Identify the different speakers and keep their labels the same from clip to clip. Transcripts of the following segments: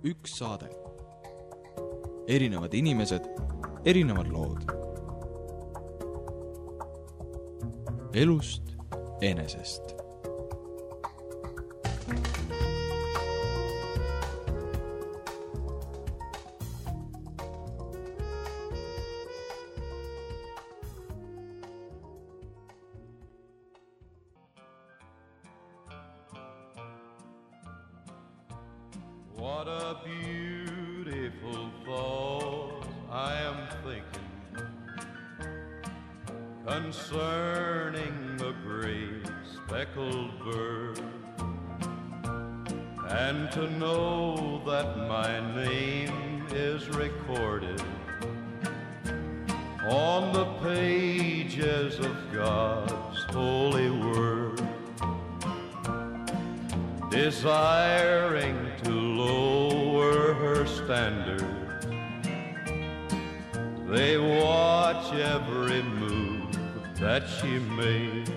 Speaker 1: üks saade. Erinevad inimesed, erinevad lood. Elust enesest.
Speaker 2: What a beautiful thought I am thinking concerning the great speckled bird, and to know that my name is recorded on the pages of God's holy word, desiring to lower her standard. They watch every move that she makes.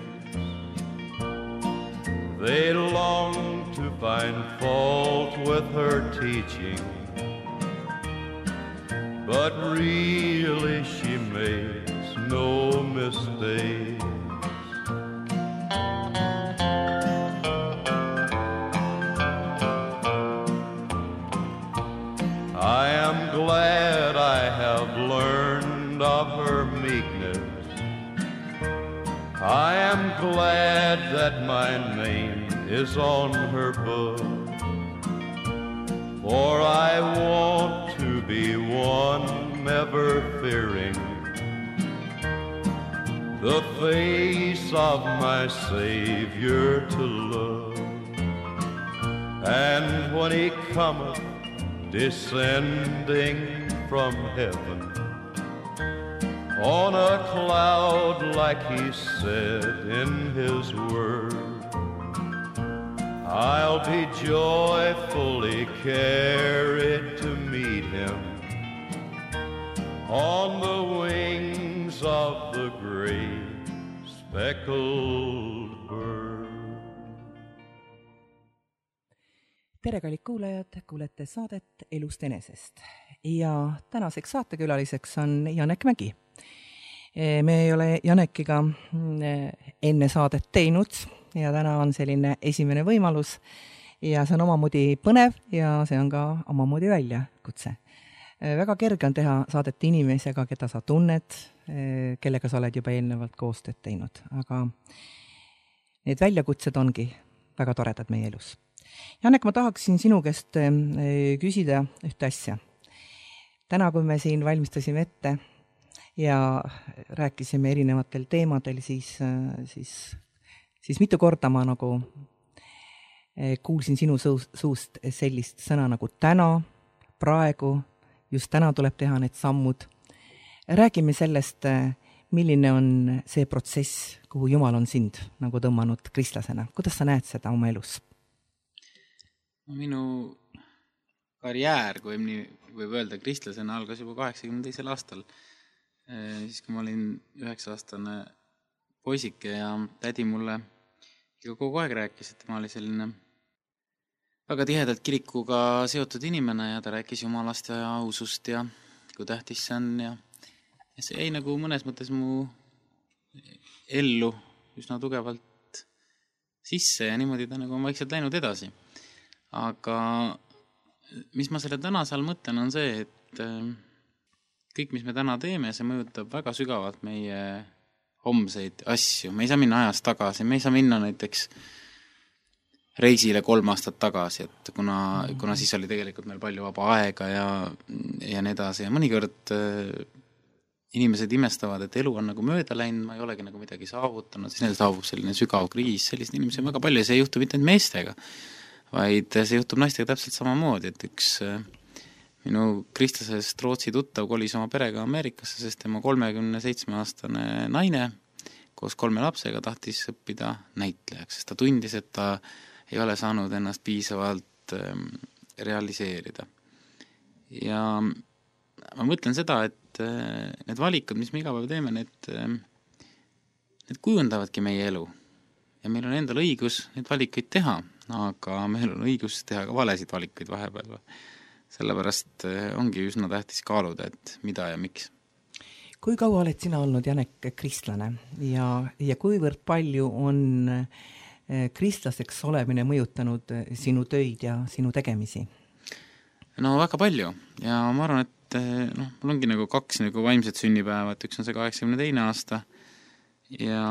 Speaker 2: They long to find fault with her teaching, but really she makes no mistake. I am glad I have learned of her meekness. I am glad that my name is on her book, for I want to be one never fearing the face of my Savior to look. And when he cometh descending from heaven on a cloud like he said in his word, I'll be joyfully carried to meet him on the wings of the great speckled bird.
Speaker 3: Tere, kallid kuulajad, kuulete saadet Elust enesest ja tänaseks saatekülaliseks on Janek Mägi. Me ei ole Janekiga enne saadet teinud ja täna on selline esimene võimalus ja see on omamoodi põnev ja see on ka omamoodi väljakutse. Väga kerge on teha saadet inimesega, keda sa tunned, kellega sa oled juba eelnevalt koostööd teinud, aga need väljakutsed ongi väga toredad meie elus. Janek, ma tahaksin sinu käest küsida ühte asja. Täna, kui me siin valmistasime ette ja rääkisime erinevatel teemadel, siis mitu korda ma nagu kuulsin sinu suust sellist sõna nagu täna, praegu, just täna tuleb teha need sammud. Räägime sellest, milline on see protsess, kuhu Jumal on sind nagu tõmmanud kristlasena. Kuidas sa näed seda oma elus?
Speaker 4: Minu karjäär, kui võib öelda kristlasena, algas juba 82. aastal. Siis kui ma olin 9-aastane poisike ja tädi mulle kogu aeg rääkis, et ma oli selline väga tihedalt kirikuga seotud inimene ja ta rääkis jumalast ja ausust ja kui tähtis see on ja see jäi nagu mõnes mõttes mu ellu üsna tugevalt sisse ja niimoodi ta nagu on vaikselt läinud edasi. Aga mis ma selle tänase all mõtlen on see, et kõik, mis me täna teeme, see mõjutab väga sügavalt meie homseid asju. Me ei saa minna ajas tagasi, me ei saa minna näiteks reisile 3 aastat tagasi, et kuna siis oli tegelikult meil palju vaba aega ja nii edasi. Ja mõnikord inimesed imestavad, et elu on nagu mööda läinud, ma ei olegi nagu midagi saavutanud, siis neil saabub selline sügav kriis, sellist inimesi on väga palju ja see ei juhtu mitte meestega, vaid see juhtub naistega täpselt samamoodi, et üks minu kristlasest Rootsi tuttav kolis oma perega Ameerikasse, sest tema 37-aastane naine koos 3 lapsega tahtis õppida näitlejaks, sest ta tundis, et ta ei ole saanud ennast piisavalt realiseerida. Ja ma mõtlen seda, et need valikud, mis me iga päev teeme, need kujundavadki meie elu. Ja meil on endal õigus neid valikuid teha, aga meil on õigus teha ka valesid valikuid vahepeal. sellepärast ongi üsna tähtis kaaluda, et mida ja miks.
Speaker 3: Kui kaua oled sina olnud, Janek, kristlane ja kuivõrd palju on kristlaseks olemine mõjutanud sinu töid ja sinu tegemisi?
Speaker 4: No väga palju ja ma arvan, et mul ongi nagu 2 nagu vaimset sünnipäeva, et üks on see 82. aasta ja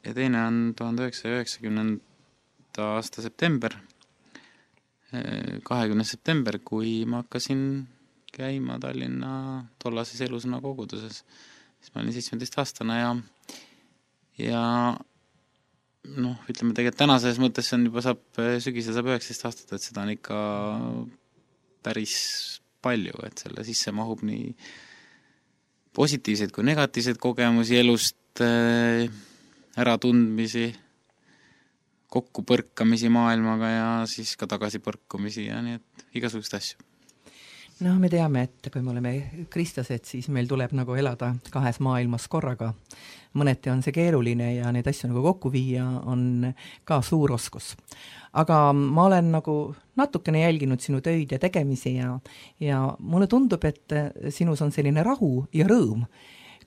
Speaker 4: teine on 1990. aasta september, 20. september, kui ma hakkasin käima Tallinna tollases Elusõna koguduses. Siis ma olin 17-aastane ja ütleme tegelikult tänases mõttes on juba sügisel saab 19 aastat, et seda on ikka päris palju, et selle sisse mahub nii positiivseid kui negatiivseid kogemusi elust, äratundmisi, kokkupõrkamisi maailmaga ja siis ka tagasipõrkumisi ja nii, et igasugust asju.
Speaker 3: Me teame, et kui me oleme kristlased, siis meil tuleb nagu elada 2 maailmas korraga. Mõneti on see keeruline ja neid asju nagu kokku viia on ka suur oskus. Aga ma olen nagu natukene jälginud sinu töid ja tegemisi ja mulle tundub, et sinus on selline rahu ja rõõm.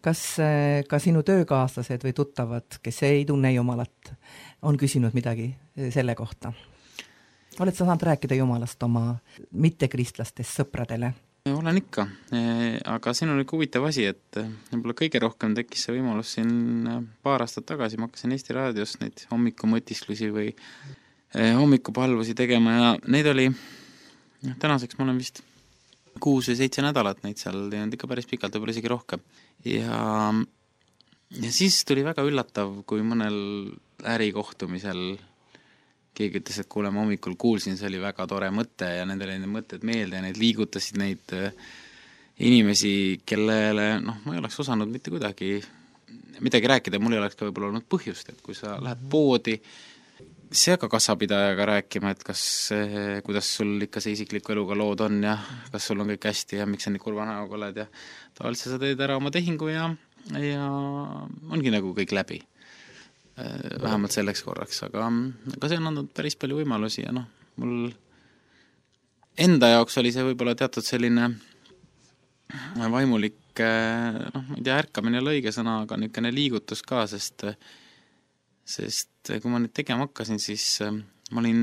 Speaker 3: Kas ka sinu töökaaslased või tuttavad, kes ei tunne Jumalat, on küsinud midagi selle kohta? Oled sa saanud rääkida Jumalast oma mittekristlastest sõpradele?
Speaker 4: Olen ikka, aga siin on huvitav asi, et võib-olla kõige rohkem tekkis see võimalus siin paar aastat tagasi. Ma hakkasin Eesti Raadios neid hommikumõtisklusi või hommikupalvusi tegema ja neid oli, tänaseks ma olen vist 6 või 7 nädalat neid seal teinud ikka päris pikalt, võib-olla isegi rohkem. Ja siis tuli väga üllatav, kui mõnel ärikohtumisel keegi ütles, et kuule, ma hommikul kuulsin, see oli väga tore mõte ja nendele need mõtted meelde ja neid liigutasid neid inimesi, kellele ma ei oleks osanud mitte kuidagi midagi rääkida, mul ei oleks ka võib-olla olnud põhjust, et kui sa lähed poodi, see ka kassapidajaga rääkima, et kuidas sul ikka see isikliku eluga lood on ja kas sul on kõik hästi ja miks sa nii kurva näoga oled ja tavaliselt sa teed ära oma tehingu ja ongi nagu kõik läbi. Vähemalt selleks korraks, aga see on andnud päris palju võimalusi ja mul enda jaoks oli see võib-olla teatud selline vaimulik, ma ei tea, ärkamine ei ole õige sõna, aga niisugune liigutus ka, sest kui ma nüüd tegema hakkasin, siis ma olin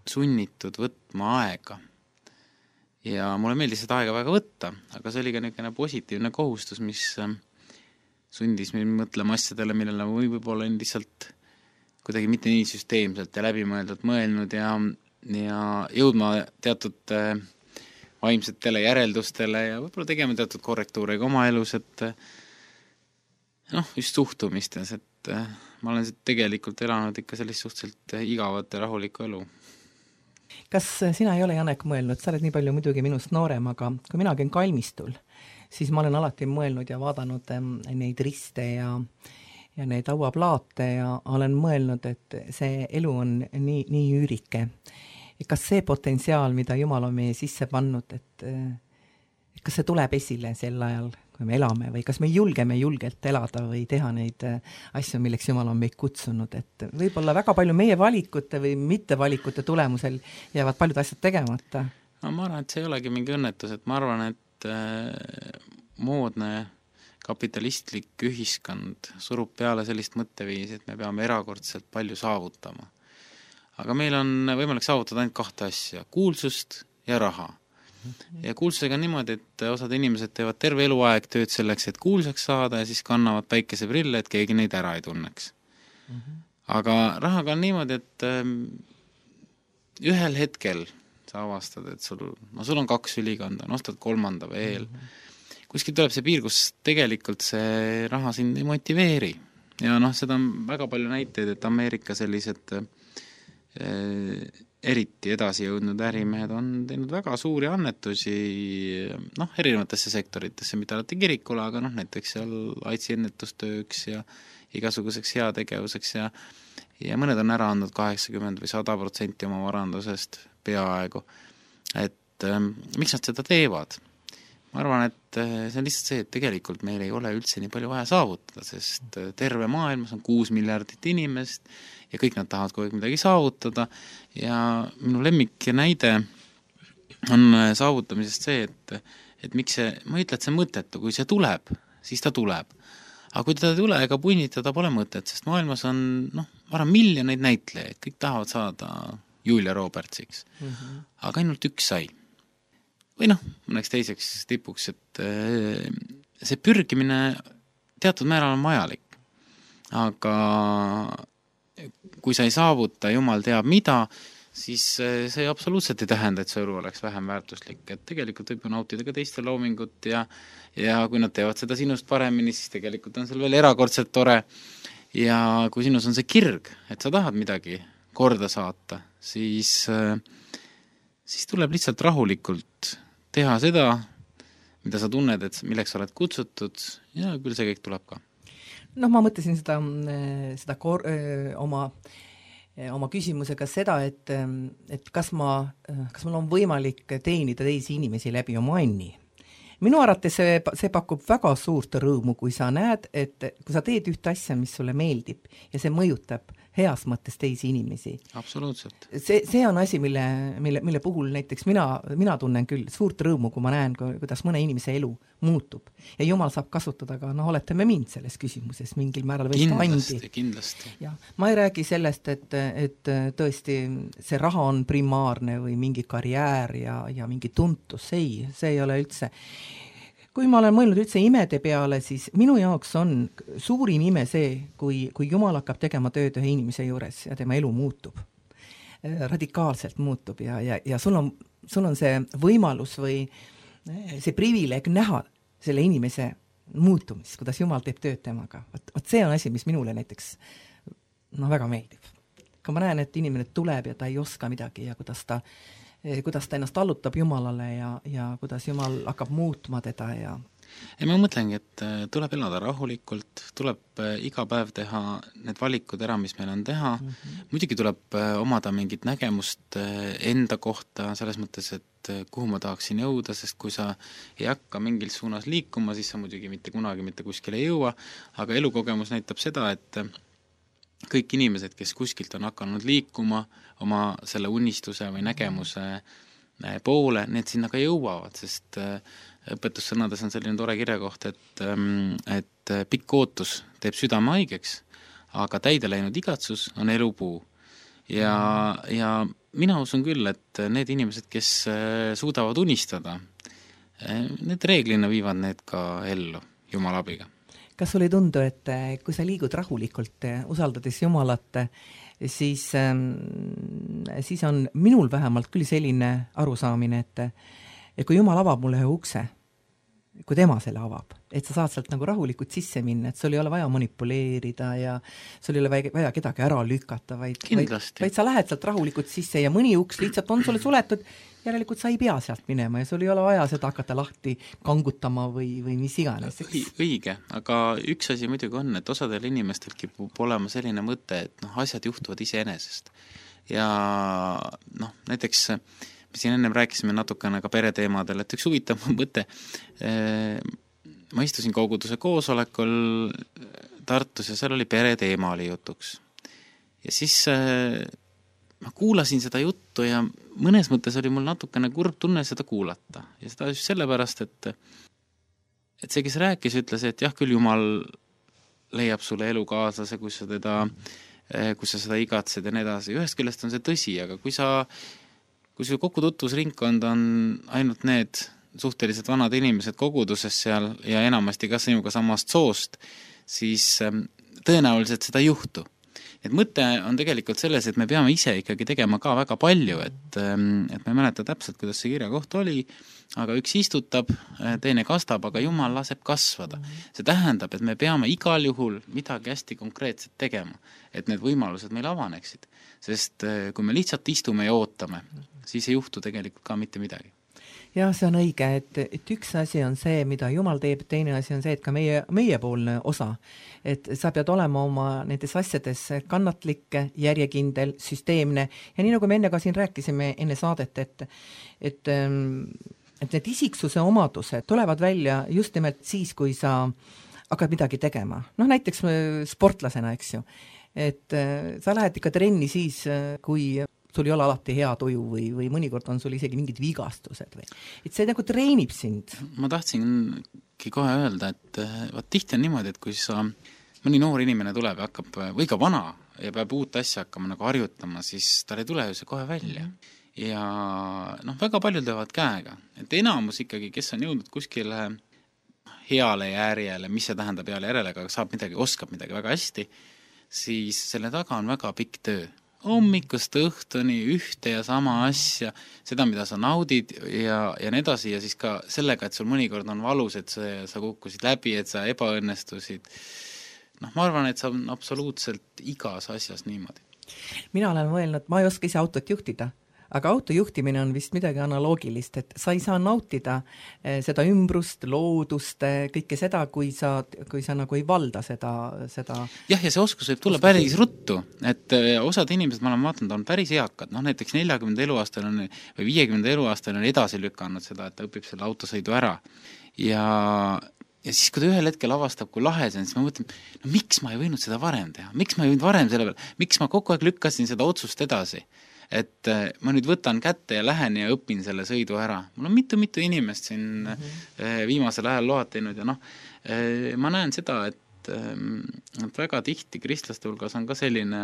Speaker 4: sunnitud võtma aega ja mulle meeldis seda aega väga võtta, aga see oli ka niisugune positiivne kohustus, mis sundis meil mõtlema asjadele, millele võib-olla on lihtsalt kuidagi mitte nii süsteemselt ja läbimõeldult mõelnud ja jõudma teatud vaimsetele järeldustele ja võib-olla tegema teatud korrektuure ka oma elus, et just suhtumistes, et ma olen tegelikult elanud ikka sellist suhteliselt igavat ja rahulikku elu.
Speaker 3: Kas sina ei ole, Janek, mõelnud, sa oled nii palju muidugi minust noorem, aga kui mina käin kalmistul, siis ma olen alati mõelnud ja vaadanud neid riste ja neid hauaplaate ja olen mõelnud, et see elu on nii üürike. Kas see potentsiaal, mida Jumal on meie sisse pannud, et kas see tuleb esile sel ajal, kui me elame või kas me julgeme julgelt elada või teha neid asju, milleks Jumal on meid kutsunud, et võib-olla väga palju meie valikute või mittevalikute tulemusel jäävad paljud asjad tegemata?
Speaker 4: Ma arvan, et see ei olegi mingi õnnetus, et ma arvan, et moodne kapitalistlik ühiskond surub peale sellist mõtteviisi, et me peame erakordselt palju saavutama. Aga meil on võimalik saavutada ainult 2 asja, kuulsust ja raha. Ja kuulsusega on niimoodi, et osad inimesed teevad terve eluaeg tööd selleks, et kuulsaks saada ja siis kannavad päikeseprille, et keegi neid ära ei tunneks. Aga rahaga on niimoodi, et ühel hetkel sa avastad, et sul on 2 ülikonda, ostad 3. veel. Kuskil tuleb see piir, kus tegelikult see raha sind ei motiveeri. Ja seda on väga palju näiteid, et Ameerika sellised eriti edasi jõudnud ärimehed on teinud väga suuri annetusi erinevatesse sektoritesse, mitte alati kirikule, aga näiteks seal AIDSi ennetustööks ja igasuguseks heategevuseks ja mõned on ära andnud 80 või 100% oma varandusest peaaegu. Et miks nad seda teevad? Ma arvan, et see on lihtsalt see, et tegelikult meil ei ole üldse nii palju vaja saavutada, sest terve maailmas on 6 miljardit inimest ja kõik nad tahavad kogu aeg midagi saavutada ja minu lemmik näide on saavutamisest see, et miks see, ma ei ütle, et see mõttetu, kui see tuleb, siis ta tuleb. Aga kui ta ei tule ega punnitada, pole mõtet, sest maailmas on, ma arvan, miljoneid näitlejaid, kõik tahavad saada Julia Robertsiks. Aga ainult üks sai. Või mõneks teiseks tipuks, et see pürgimine teatud määral on vajalik. Aga kui sa ei saavuta, jumal teab mida, siis see absoluutselt ei tähenda, et see elu oleks vähem väärtuslik. Et tegelikult võib nautida ka teiste loomingut ja kui nad teevad seda sinust paremini, siis tegelikult on seal veel erakordselt tore. Ja kui sinus on see kirg, et sa tahad midagi korda saata, siis tuleb lihtsalt rahulikult teha seda, mida sa tunned, et milleks oled kutsutud ja küll see kõik tuleb ka.
Speaker 3: Ma mõtlesin seda oma küsimusega seda, et kas mul on võimalik teenida teisi inimesi läbi oma anni. Minu arvates see pakub väga suurt rõõmu, kui sa näed, et kui sa teed ühte asja, mis sulle meeldib ja see mõjutab heas mõttes teisi inimesi.
Speaker 4: Absoluutselt.
Speaker 3: See on asi, mille puhul näiteks mina tunnen küll suurt rõõmu, kui ma näen, kuidas mõne inimese elu muutub. Ja Jumal saab kasutada ka, oletame mind selles küsimuses mingil määral või
Speaker 4: kindlasti.
Speaker 3: Ja, ma ei räägi sellest, et tõesti see raha on primaarne või mingi karjäär ja mingi tuntus. See ei ole üldse. Kui ma olen mõelnud üldse imede peale, siis minu jaoks on suurim ime see, kui Jumal hakkab tegema tööd ühe inimese juures ja tema elu muutub. Radikaalselt muutub ja sul on see võimalus või see privileeg näha selle inimese muutumist, kuidas Jumal teeb tööd temaga. Võt see on asi, mis minule näiteks väga meeldib. Kui ma näen, et inimene tuleb ja ta ei oska midagi ja kuidas ta ennast allutab Jumalale ja kuidas Jumal hakkab muutma teda ja
Speaker 4: ma mõtlengi, et tuleb elada rahulikult, tuleb iga päev teha need valikud ära, mis meil on teha. Muidugi tuleb omada mingit nägemust enda kohta, selles mõttes, et kuhu ma tahaksin jõuda, sest kui sa ei hakka mingil suunas liikuma, siis sa muidugi mitte kunagi mitte kuskile ei jõua, aga elukogemus näitab seda, et kõik inimesed, kes kuskilt on hakanud liikuma oma selle unistuse või nägemuse poole, need sinna ka jõuavad, sest õpetussõnades on selline tore kirjakoht, et pikk ootus teeb südame haigeks, aga täide läinud igatsus on elupuu. Ja mina usun küll, et need inimesed, kes suudavad unistada, need reeglina viivad need ka ellu Jumala abiga.
Speaker 3: Kas sul ei tundu, et kui sa liigud rahulikult, usaldades Jumalat, siis on minul vähemalt küll selline arusaamine, et kui Jumal avab mulle ühe ukse, kui tema selle avab, et sa saad sealt nagu rahulikult sisse minna, et sul ei ole vaja manipuleerida ja sul ei ole vaja kedagi ära lükata, vaid sa lähed sealt rahulikult sisse ja mõni uks lihtsalt on sulle suletud, järelikult sa ei pea sealt minema ja sul ei ole vaja seda hakata lahti kangutama või mis iganes.
Speaker 4: Õige, aga üks asi muidugi on, et osadel inimestel kipub olema selline mõte, et asjad juhtuvad iseenesest. Ja näiteks me siin ennem rääkisime natukene ka pereteemadel, et üks huvitav mõte, ma istusin koguduse koosolekul Tartus ja seal oli pereteema oli jutuks. Ja siis ma kuulasin seda juttu ja mõnes mõttes oli mul natukene kurb tunne seda kuulata. Ja seda just sellepärast, et see, kes rääkis, ütles, et jah, küll Jumal leiab sulle elukaaslase, kui sa seda igatsed ja nii edasi. Ühest küljest on see tõsi, aga kui su kogu tutvusringkond on ainult need suhteliselt vanad inimesed koguduses seal ja enamasti ka sinuga samast soost, siis tõenäoliselt seda ei juhtu. Et mõte on tegelikult selles, et me peame ise ikkagi tegema ka väga palju, et ma ei mäleta täpselt, kuidas see kirja koht oli, aga üks istutab, teine kastab, aga Jumal laseb kasvada. See tähendab, et me peame igal juhul midagi hästi konkreetset tegema, et need võimalused meil avaneksid. Sest kui me lihtsalt istume ja ootame, siis ei juhtu tegelikult ka mitte midagi.
Speaker 3: Ja see on õige, et üks asi on see, mida Jumal teeb, teine asi on see, et ka meiepoolne osa, et sa pead olema oma nendes asjades kannatlik, järjekindel, süsteemne ja nii nagu me enne ka siin rääkisime enne saadet, et need isiksuse omadused tulevad välja just nimelt siis, kui sa hakkad midagi tegema. Näiteks sportlasena, eks ju, et sa lähed ikka trenni siis, kui sul ei ole alati hea tuju või mõnikord on sul isegi mingid vigastused või. Et see nagu treenib sind.
Speaker 4: Ma tahtsingi kohe öelda, et vaat tihti on niimoodi, et kui mõni noor inimene tuleb ja hakkab, või ka vana ja peab uut asja hakkama nagu harjutama, siis tal ei tule ju see kohe välja. Ja väga paljud löövad käega. Et enamus ikkagi, kes on jõudnud kuskile heale järjele, mis see tähendab heale järjele, aga oskab midagi väga hästi, siis selle taga on väga pikk töö. Hommikust õhtuni ühte ja sama asja, seda, mida sa naudid ja nii edasi, ja siis ka sellega, et sul mõnikord on valus, et sa kukkusid läbi, et sa ebaõnnestusid. Ma arvan, et see on absoluutselt igas asjas niimoodi.
Speaker 3: Mina olen mõelnud, ma ei oska ise autot juhtida, aga autojuhtimine on vist midagi analoogilist, et sa ei saa nautida seda ümbrust, loodust, kõike seda, kui sa nagu ei valda seda.
Speaker 4: Jah, ja see oskus võib tulla päris ruttu, et osad inimesed, ma olen vaatanud, on päris eakad, näiteks 40 eluaastal või 50 eluaastal on edasi lükanud seda, et ta õpib selle autosõidu ära. Ja siis, kui ta ühel hetkel avastab, kui lahe see on, siis ma mõtlen, miks ma ei võinud seda varem teha? Miks ma ei võinud varem selle peale? Miks ma kogu aeg lükkasin seda otsust edasi? Et ma nüüd võtan kätte ja lähen ja õpin selle sõidu ära. Mul on mitu inimest siin viimasel ajal load teinud ja ma näen seda, et väga tihti kristlaste hulgas on ka selline,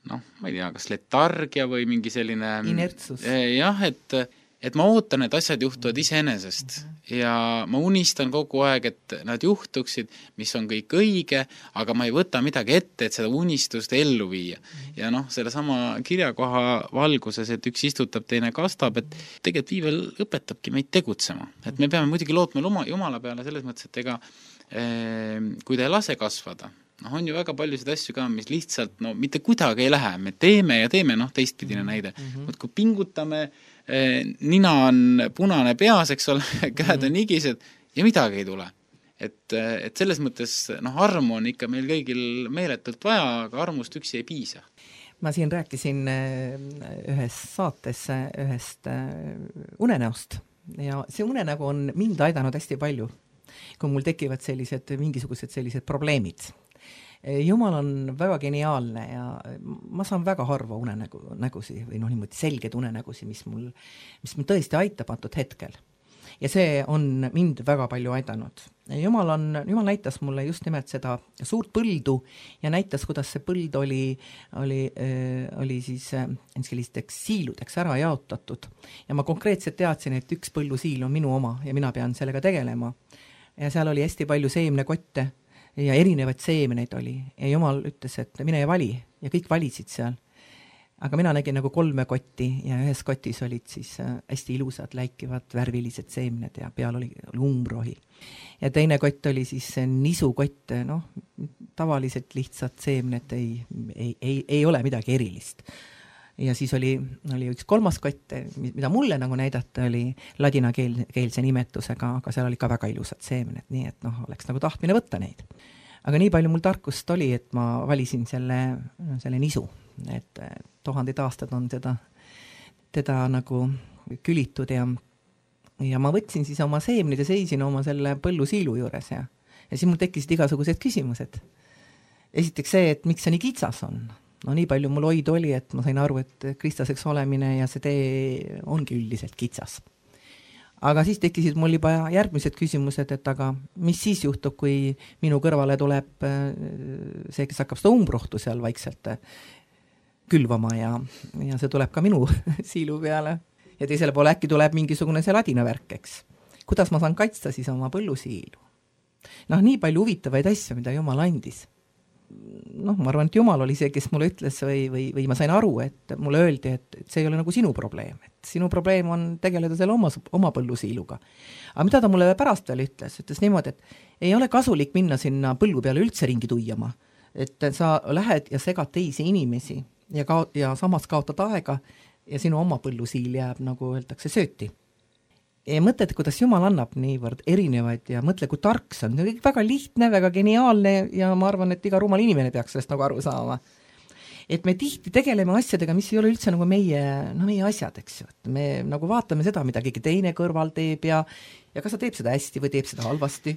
Speaker 4: ma ei tea, kas letargia või mingi selline
Speaker 3: inertsus.
Speaker 4: Jah, et ma ootan, et asjad juhtuvad iseenesest ja ma unistan kogu aeg, et nad juhtuksid, mis on kõik õige, aga ma ei võta midagi ette, et seda unistust ellu viia. Ja selle sama kirjakoha valguses, et üks istutab, teine kastab, et tegelikult viivel õpetabki meid tegutsema. Et me peame muidugi lootma Jumala peale selles mõttes, et kui ta ei lase kasvada, on ju väga paljusid asju ka, mis lihtsalt mitte kuidagi ei lähe. Me teeme ja teeme, teistpidine näide. Kui pingutame, nina on punane peas, eks ole, käed on igised ja midagi ei tule. Et selles mõttes armu on ikka meil kõigil meeletult vaja, aga armust üksi ei piisa.
Speaker 3: Ma siin rääkisin ühes saates ühest unenäost ja see unenägu on mind aidanud hästi palju, kui mul tekivad mingisugused sellised probleemid. Jumal on väga geniaalne ja ma saan väga harva unenägusi või niimoodi selged unenägusi, mis mul tõesti aitab antud hetkel. Ja see on mind väga palju aidanud. Jumal näitas mulle just nimelt seda suurt põldu ja näitas, kuidas see põld oli siis sellisteks siiludeks ära jaotatud. Ja ma konkreetselt teadsin, et üks põllusiil on minu oma ja mina pean sellega tegelema. Ja seal oli hästi palju seemnekotte ja erinevaid seemneid oli. Ja Jumal ütles, et mine ja vali ja kõik valisid seal. Aga mina nägin nagu 3 kotti ja ühes kotis olid siis hästi ilusad, läikivad, värvilised seemned ja peal oli umbrohi. Ja teine kott oli siis nisukott, tavaliselt lihtsad seemned ei ole midagi erilist. Ja siis oli üks 3. kott, mida mulle nagu näidata oli ladinakeelse nimetusega, aga seal oli ka väga ilusad seemned, nii et oleks nagu tahtmine võtta neid. Aga nii palju mul tarkust oli, et ma valisin selle nisu, et 1000 aastad on teda nagu külitud ja ma võtsin siis oma seemnid ja seisin oma selle põllusiilu juures ja siis mul tekkisid igasugused küsimused. Esiteks see, et miks see nii kitsas on. Nii palju mul hoid oli, et ma sain aru, et kristlaseks olemine ja see tee ongi üldiselt kitsas. Aga siis tekkisid mul juba järgmised küsimused, et aga mis siis juhtub, kui minu kõrvale tuleb see, kes hakkab seda umbrohtu seal vaikselt külvama ja see tuleb ka minu siilu peale. Ja teisele poole äkki tuleb mingisugune see ladina värk, eks. Kuidas ma saan kaitsta siis oma põllusiilu? Nii palju huvitavaid asju, mida Jumal andis. Ma arvan, et Jumal oli see, kes mulle ütles või ma sain aru, et mulle öeldi, et see ei ole nagu sinu probleem. Et sinu probleem on tegeleda selle oma põllusiiluga. Aga mida ta mulle pärast veel ütles niimoodi, et ei ole kasulik minna sinna põllu peale üldse ringi tuiama. Et sa lähed ja segad teisi inimesi ja samas kaotad aega ja sinu oma põllusiil jääb, nagu öeldakse, sööti. Ja mõtled, kuidas Jumal annab niivõrd erinevaid ja mõtle, kui tark see on. Väga lihtne, väga geniaalne ja ma arvan, et iga rumal inimene peaks sellest nagu aru saama. Et me tihti tegeleme asjadega, mis ei ole üldse nagu meie asjad, eks ju. Et me nagu vaatame seda, mida keegi teine kõrval teeb ja ja kas ta teeb seda hästi või teeb seda halvasti?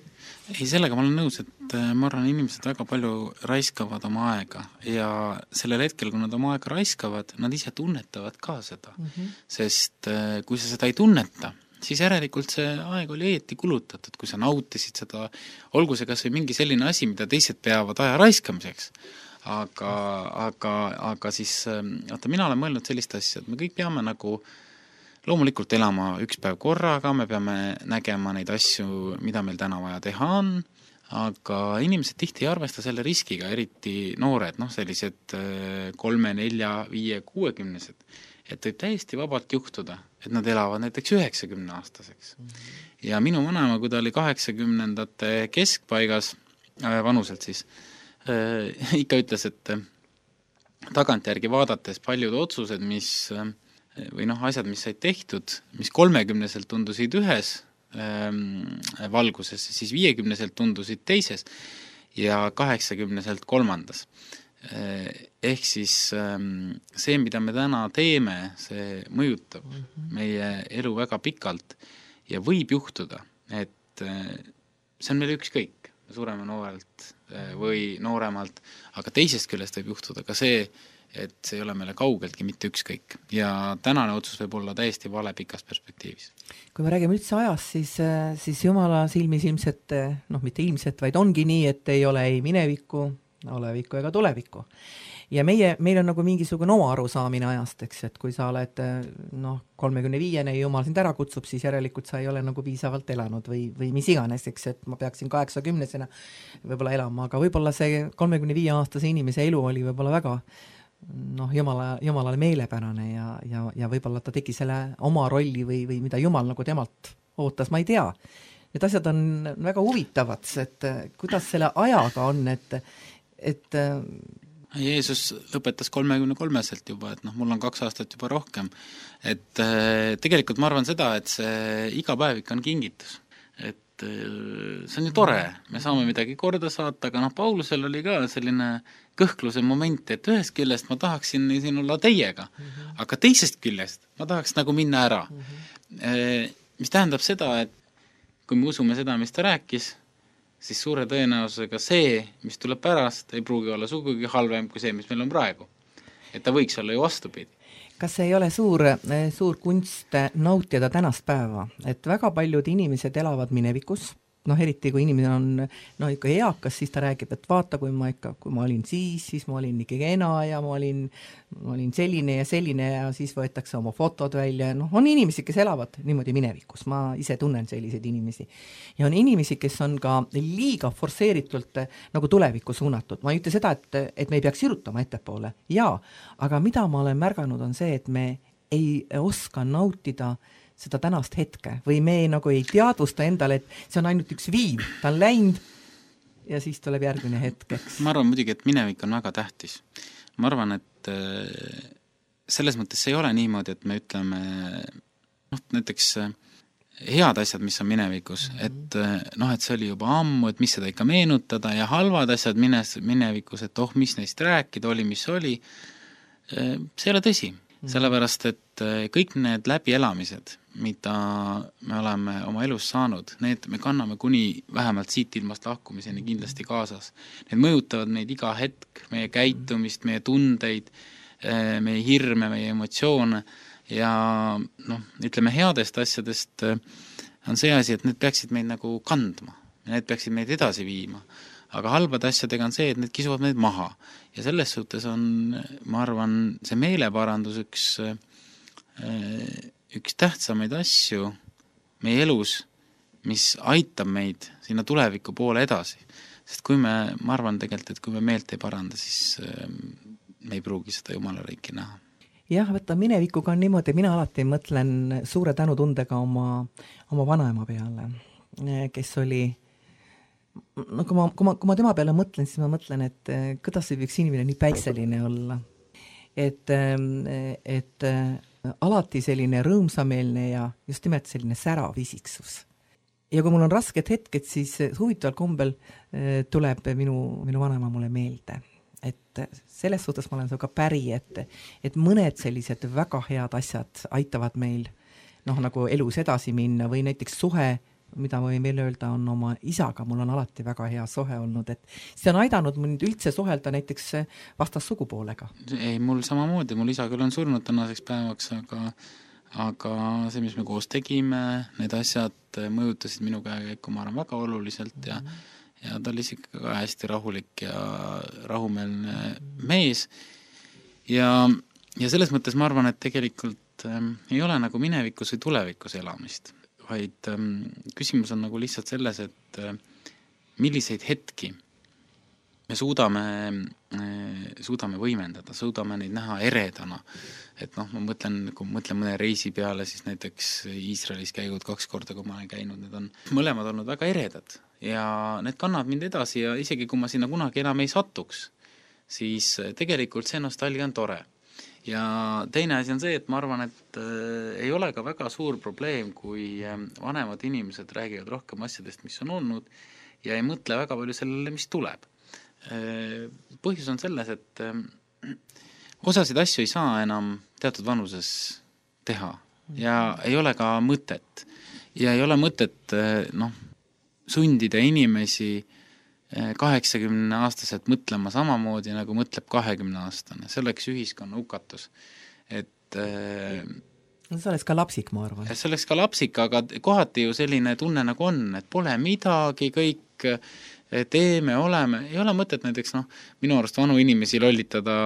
Speaker 4: Ei, sellega ma olen nõus, et ma arvan, inimesed väga palju raiskavad oma aega ja sellel hetkel, kui nad oma aega raiskavad, nad ise tunnetavad ka seda. Sest kui sa seda ei tunneta, siis järelikult see aeg oli õieti kulutatud, kui sa nautisid seda, olgu see kas või mingi selline asi, mida teised peavad aja raiskamiseks. Aga siis, mina olen mõelnud sellist asja, et me kõik peame nagu loomulikult elama üks päev korraga, me peame nägema neid asju, mida meil täna vaja teha on, aga inimesed tihti ei arvesta selle riskiga, eriti noored, sellised 3, 4, 5, 60-sed. Et võib täiesti vabalt juhtuda, et nad elavad näiteks 90-aastaseks. Ja minu vanaema, kui ta oli 80-ndate keskpaigas, vanuselt siis, ikka ütles, et tagantjärgi vaadates paljud otsused, või asjad, mis said tehtud, mis 30-selt tundusid ühes valguses, siis 50-selt tundusid teises ja 80-selt kolmandas. Ehk siis see, mida me täna teeme, see mõjutab meie elu väga pikalt ja võib juhtuda, et see on meil ükskõik, sureme noorelt või nooremalt, aga teisest küljest võib juhtuda ka see, et see ei ole meile kaugeltki mitte ükskõik ja tänane otsus võib olla täiesti vale pikas perspektiivis.
Speaker 3: Kui me räägime üldse ajast, siis Jumala silmis ilmselt, mitte ilmselt, vaid ongi nii, et ei ole ei minevikku, olevikku ega tulevikku. Ja meil on nagu mingisugune oma arusaamine ajast, eks, et kui sa oled 35-ne ja Jumal sind ära kutsub, siis järelikult sa ei ole nagu piisavalt elanud või mis iganes, eks, et ma peaksin 80-sena võib-olla elama, aga võib-olla see 35-aastase inimese elu oli võib-olla väga Jumalale meelepärane ja võib-olla ta tegi selle oma rolli või mida Jumal nagu temalt ootas, ma ei tea. Need asjad on väga huvitavad, et kuidas selle ajaga on, et
Speaker 4: Jeesus lõpetas 33-selt juba, et mul on 2 aastat juba rohkem. Et tegelikult ma arvan seda, et see iga päev ikka on kingitus. Et see on ju tore, me saame midagi korda saata, aga Paulusel oli ka selline kõhkluse moment, et ühest küljest ma tahaksin siin olla teiega, aga teisest küljest ma tahaks nagu minna ära. Mis tähendab seda, et kui me usume seda, mis ta rääkis, siis suure tõenäosusega see, mis tuleb pärast, ei pruugi olla sugugi halvem kui see, mis meil on praegu. Et ta võiks olla ju vastupidi.
Speaker 3: Kas ei ole suur kunst nautida tänast päeva? Et väga paljud inimesed elavad minevikus, eriti kui inimene on ikka eakas, siis ta räägib, et vaata, kui ma olin siis ma olin ikka kena ja ma olin selline ja siis võetakse oma fotod välja. On inimesi, kes elavad niimoodi minevikus, ma ise tunnen selliseid inimesi. Ja on inimesi, kes on ka liiga forsseeritult nagu tulevikku suunatud. Ma ei ütle seda, et me ei peaks irutama ettepoole. Jaa, aga mida ma olen märganud on see, et me ei oska nautida seda tänast hetke või me nagu ei teadvusta endale, et see on ainult üks viim, ta on läinud ja siis tuleb järgmine hetkeks.
Speaker 4: Ma arvan muidugi, et minevik on väga tähtis. Ma arvan, et selles mõttes ei ole niimoodi, et me ütleme näiteks head asjad, mis on minevikus, et see oli juba ammu, et mis seda ikka meenutada ja halvad asjad minevikus, et mis neist rääkida oli, mis oli, see ei ole tõsi. Sellepärast, et kõik need läbielamised, mida me oleme oma elus saanud, need me kanname kuni vähemalt siit ilmast lahkumiseni kindlasti kaasas. Need mõjutavad meid iga hetk, meie käitumist, meie tundeid, meie hirme, meie emotsioone ja ütleme headest asjadest on see asi, et need peaksid meid nagu kandma ja need peaksid meid edasi viima. Aga halbade asjadega on see, et need kisuvad meid maha. Ja selles suhtes on, ma arvan, see meeleparandus üks tähtsamaid asju meie elus, mis aitab meid sinna tuleviku poole edasi. Sest kui ma arvan tegelikult, et kui me meelt ei paranda, siis me ei pruugi seda Jumala riiki näha.
Speaker 3: Jah, võtta minevikuga on niimoodi, mina alati mõtlen suure tänutundega oma vanaema peale, kes oli kui ma tema peale mõtlen, siis ma mõtlen, et kuidas see võiks inimene nii päikseline olla. Et alati selline rõõmsameelne ja just nimelt selline särav isiksus. Ja kui mul on rasked hetked, siis huvitaval kombel tuleb minu vanaema mulle meelde. Et selles suhtes ma olen ka päri, et mõned sellised väga head asjad aitavad meil nagu elus edasi minna või näiteks suhe mida ma võin veel öelda, on oma isaga, mul on alati väga hea suhe olnud, et see on aidanud mind üldse suhelda näiteks vastassugupoolega.
Speaker 4: Ei, mul samamoodi, mul isa küll on surnud tänaseks päevaks, aga see, mis me koos tegime, need asjad mõjutasid minu käekäiku, ma arvan, väga oluliselt ja ta oli ikka ka hästi rahulik ja rahumeelne mees ja selles mõttes ma arvan, et tegelikult ei ole nagu minevikus või tulevikus elamist, vaid küsimus on nagu lihtsalt selles, et milliseid hetki me suudame võimendada, suudame neid näha eredana. Et noh, ma mõtlen mõne reisi peale, siis näiteks Iisraelis käigud 2 korda, kui ma olen käinud, need on mõlemad olnud väga eredad ja need kannavad mind edasi ja isegi kui ma sinna kunagi enam ei satuks, siis tegelikult see nostalgia on tore. Ja teine asi on see, et ma arvan, et ei ole ka väga suur probleem, kui vanemad inimesed räägivad rohkem asjadest, mis on olnud ja ei mõtle väga palju sellele, mis tuleb. Põhjus on selles, et osasid asju ei saa enam teatud vanuses teha ja ei ole ka mõtet. Ja ei ole mõtet sundida inimesi 80-aastaselt mõtlema samamoodi, nagu mõtleb 20-aastane. See oleks ühiskonna hukatus.
Speaker 3: See oleks ka lapsik, ma arvan.
Speaker 4: See oleks ka lapsik, aga kohati ju selline tunne nagu on, et pole midagi, kõik teeme, oleme. Ei ole mõtet näiteks, minu arust vanu inimesi lollitada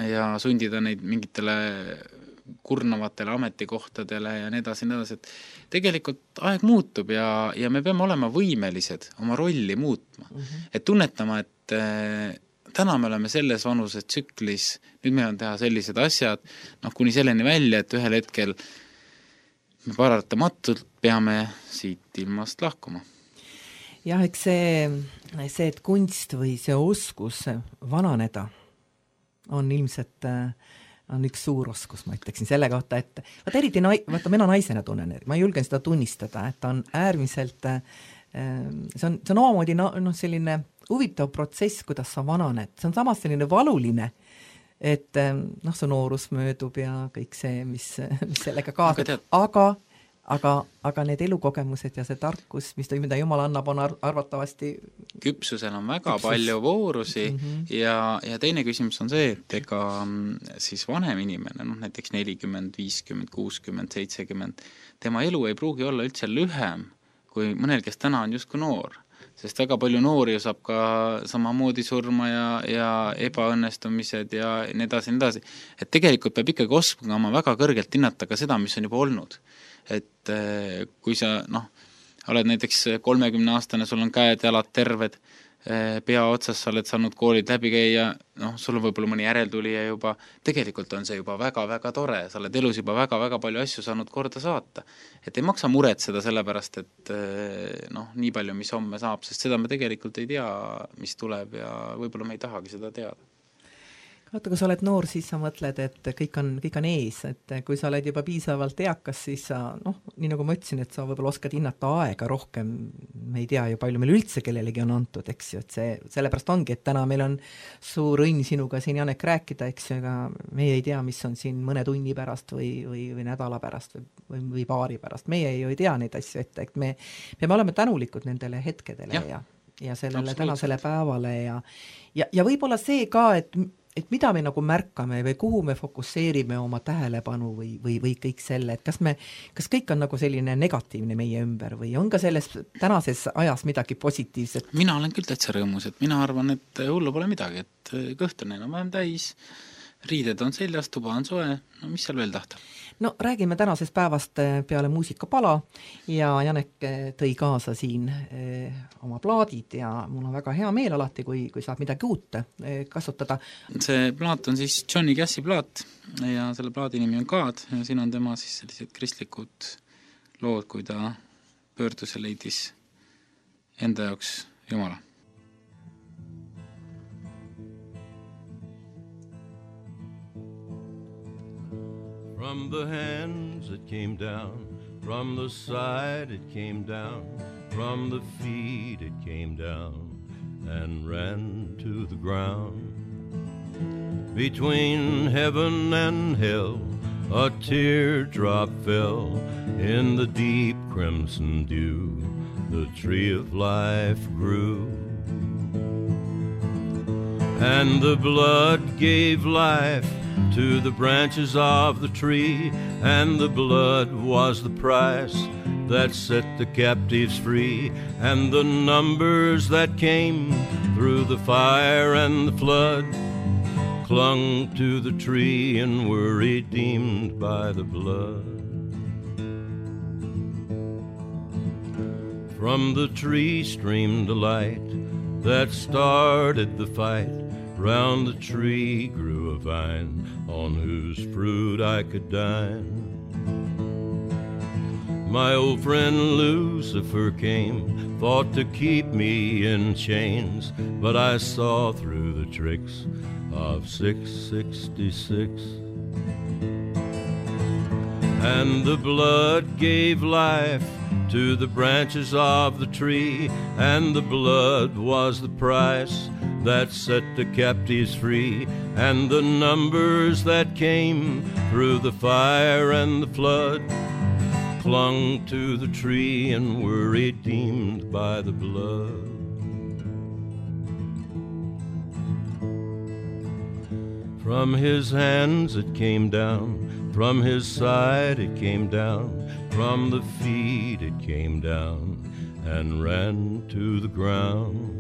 Speaker 4: ja sundida neid mingitele kurnavatele ametikohtadele ja nii edasi, et tegelikult aeg muutub ja me peame olema võimelised oma rolli muutma. Et tunnetama, et täna me oleme selles vanuse tsüklis, nüüd meil on teha sellised asjad, kuni selleni välja, et ühel hetkel me paratamatult peame siit ilmast lahkuma.
Speaker 3: Jah, eks see, et kunst või see oskus vananeda on ilmselt on üks suur oskus, ma ütleksin selle kohta, et eriti mina naisena tunnen, ma julgen seda tunnistada, et on äärmiselt see on omamoodi selline huvitav protsess, kuidas sa vananed. See on samas selline valuline, et su noorus möödub ja kõik see, mis sellega kaasab, aga need elukogemused ja see tarkus, mida Jumal annab, on arvatavasti
Speaker 4: küpsusel on väga palju voorusi ja teine küsimus on see, et ega siis vanem inimene, näiteks 40, 50, 60, 70, tema elu ei pruugi olla üldse lühem kui mõnel, kes täna on justkui noor. Sest väga palju noori saab ka samamoodi surma ja ebaõnnestumised ja nii edasi. Et tegelikult peab ikkagi oskama väga kõrgelt hinnata ka seda, mis on juba olnud. Et kui sa oled näiteks 30-aastane, sul on käed, jalad terved, pea otsas sa oled saanud koolid läbi käia, sul on võib-olla mõni järeltulija juba, tegelikult on see juba väga-väga tore, sa oled elus juba väga-väga palju asju saanud korda saata. Et ei maksa muretseda sellepärast, et nii palju, mis homme saab, sest seda me tegelikult ei tea, mis tuleb ja võib-olla me ei tahagi seda teada.
Speaker 3: Vaata, kui sa oled noor, siis sa mõtled, et kõik on ees, et kui sa oled juba piisavalt eakas, siis sa, nii nagu ma ütlesin, et sa võib-olla oskad hinnata aega rohkem, me ei tea ju palju meil üldse kellelegi on antud, eks ju, et sellepärast ongi, et täna meil on suur õnn sinuga siin, Janek, rääkida, eks ju, ega meie ei tea, mis on siin mõne tunni pärast või nädala pärast või paari pärast, meie ju ei tea neid asju ette, et me peame olema tänulikud nendele hetkedele ja sellele tänasele päevale ja võib-olla see ka, et mida me nagu märkame või kuhu me fokusseerime oma tähelepanu või kõik selle, et kas kõik on nagu selline negatiivne meie ümber või on ka selles tänases ajas midagi positiivset?
Speaker 4: Mina olen küll täitsa rõõmus, et mina arvan, et hullu pole midagi, et kõht on enam vähem täis, riided on seljas, tuba on soe, mis seal veel tahta?
Speaker 3: Räägime tänasest päevast peale muusikapala ja Janek tõi kaasa siin oma plaadid ja mul on väga hea meel alati, kui saab midagi uut kasutada. See
Speaker 4: plaat on siis Johnny Cassi plaat ja selle plaadi nimi on God ja siin on tema siis sellised kristlikud lood, kui ta pöördus ja leidis enda jaoks Jumala.
Speaker 5: From the hands it came down, from the side it came down, from the feet it came down and ran to the ground. Between heaven and hell, a teardrop fell in the deep crimson dew. The tree of life grew, and the blood gave life to the branches of the tree, and the blood was the price that set the captives free, and the numbers that came through the fire and the flood clung to the tree and were redeemed by the blood. From the tree streamed a light that started the fight. Round the tree grew a vine on whose fruit I could dine. My old friend Lucifer came, thought to keep me in chains, but I saw through the tricks of 666. And the blood gave life to the branches of the tree, and the blood was the price that set the captives free, and the numbers that came through the fire and the flood clung to the tree and were redeemed by the blood. From his hands it came down, from his side it came down, from the feet it came down and ran to the ground.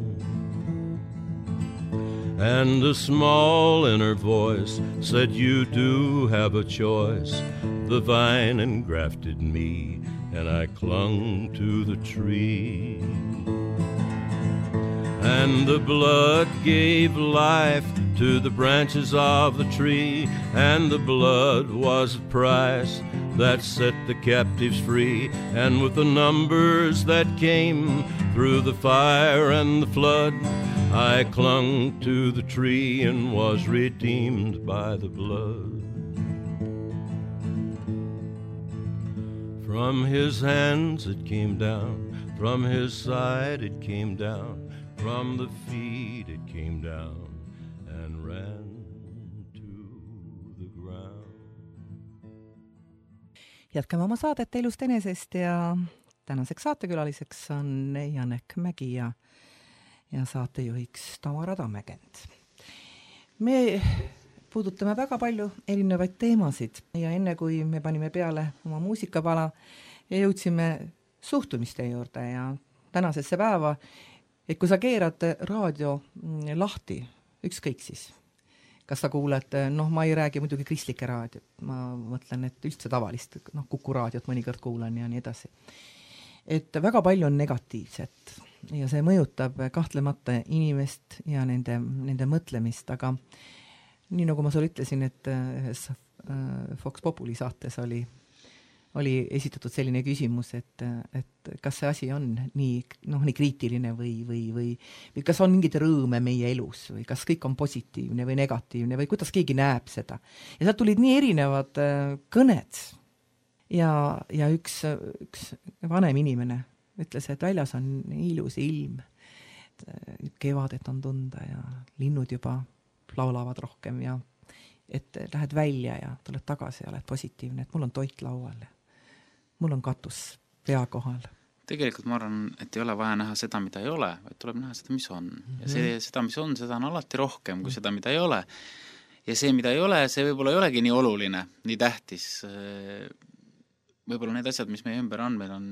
Speaker 5: And a small inner voice said, you do have a choice. The vine engrafted me, and I clung to the tree. And the blood gave life to the branches of the tree, and the blood was the price that set the captives free. And with the numbers that came through the fire and the flood, I clung to the tree and was redeemed by the blood. From his hands it came down, from his side it came down, from the feet it came down and ran to the ground.
Speaker 3: Jätkame oma saadet Elust enesest ja tänaseks saatekülaliseks on Janek Mägi ja saatejuhiks Tamara Tammekent. Me puudutame väga palju erinevaid teemasid ja enne kui me panime peale oma muusikapala ja jõudsime suhtumiste juurde ja tänasesse päeva, et kui sa keerad raadio lahti, ükskõik siis, kas sa kuuled, ma ei räägi muidugi kristlikke raadiot, ma mõtlen, et üldse tavalist, Kuku raadiot mõnikord kuulan ja nii edasi. Et väga palju on negatiivset ja see mõjutab kahtlemata inimest ja nende mõtlemist, aga nii nagu ma sulle ütlesin, et ühes Fox Populi saates oli esitatud selline küsimus, et kas see asi on nii kriitiline või kas on mingid rõõme meie elus või kas kõik on positiivne või negatiivne või kuidas keegi näeb seda. Ja sealt tulid nii erinevad kõned ja üks vanem inimene ütles, et väljas on ilus ilm, kevadet on tunda ja linnud juba laulavad rohkem ja et lähed välja ja tuled tagasi ja oled positiivne, et mul on toit laual ja mul on katus pea kohal.
Speaker 4: Tegelikult ma arvan, et ei ole vaja näha seda, mida ei ole, vaid tuleb näha seda, mis on. Ja seda, mis on, seda on alati rohkem kui seda, mida ei ole. Ja see, mida ei ole, see võib-olla ei olegi nii oluline, nii tähtis. Võib-olla need asjad, mis meie ümber on, meil on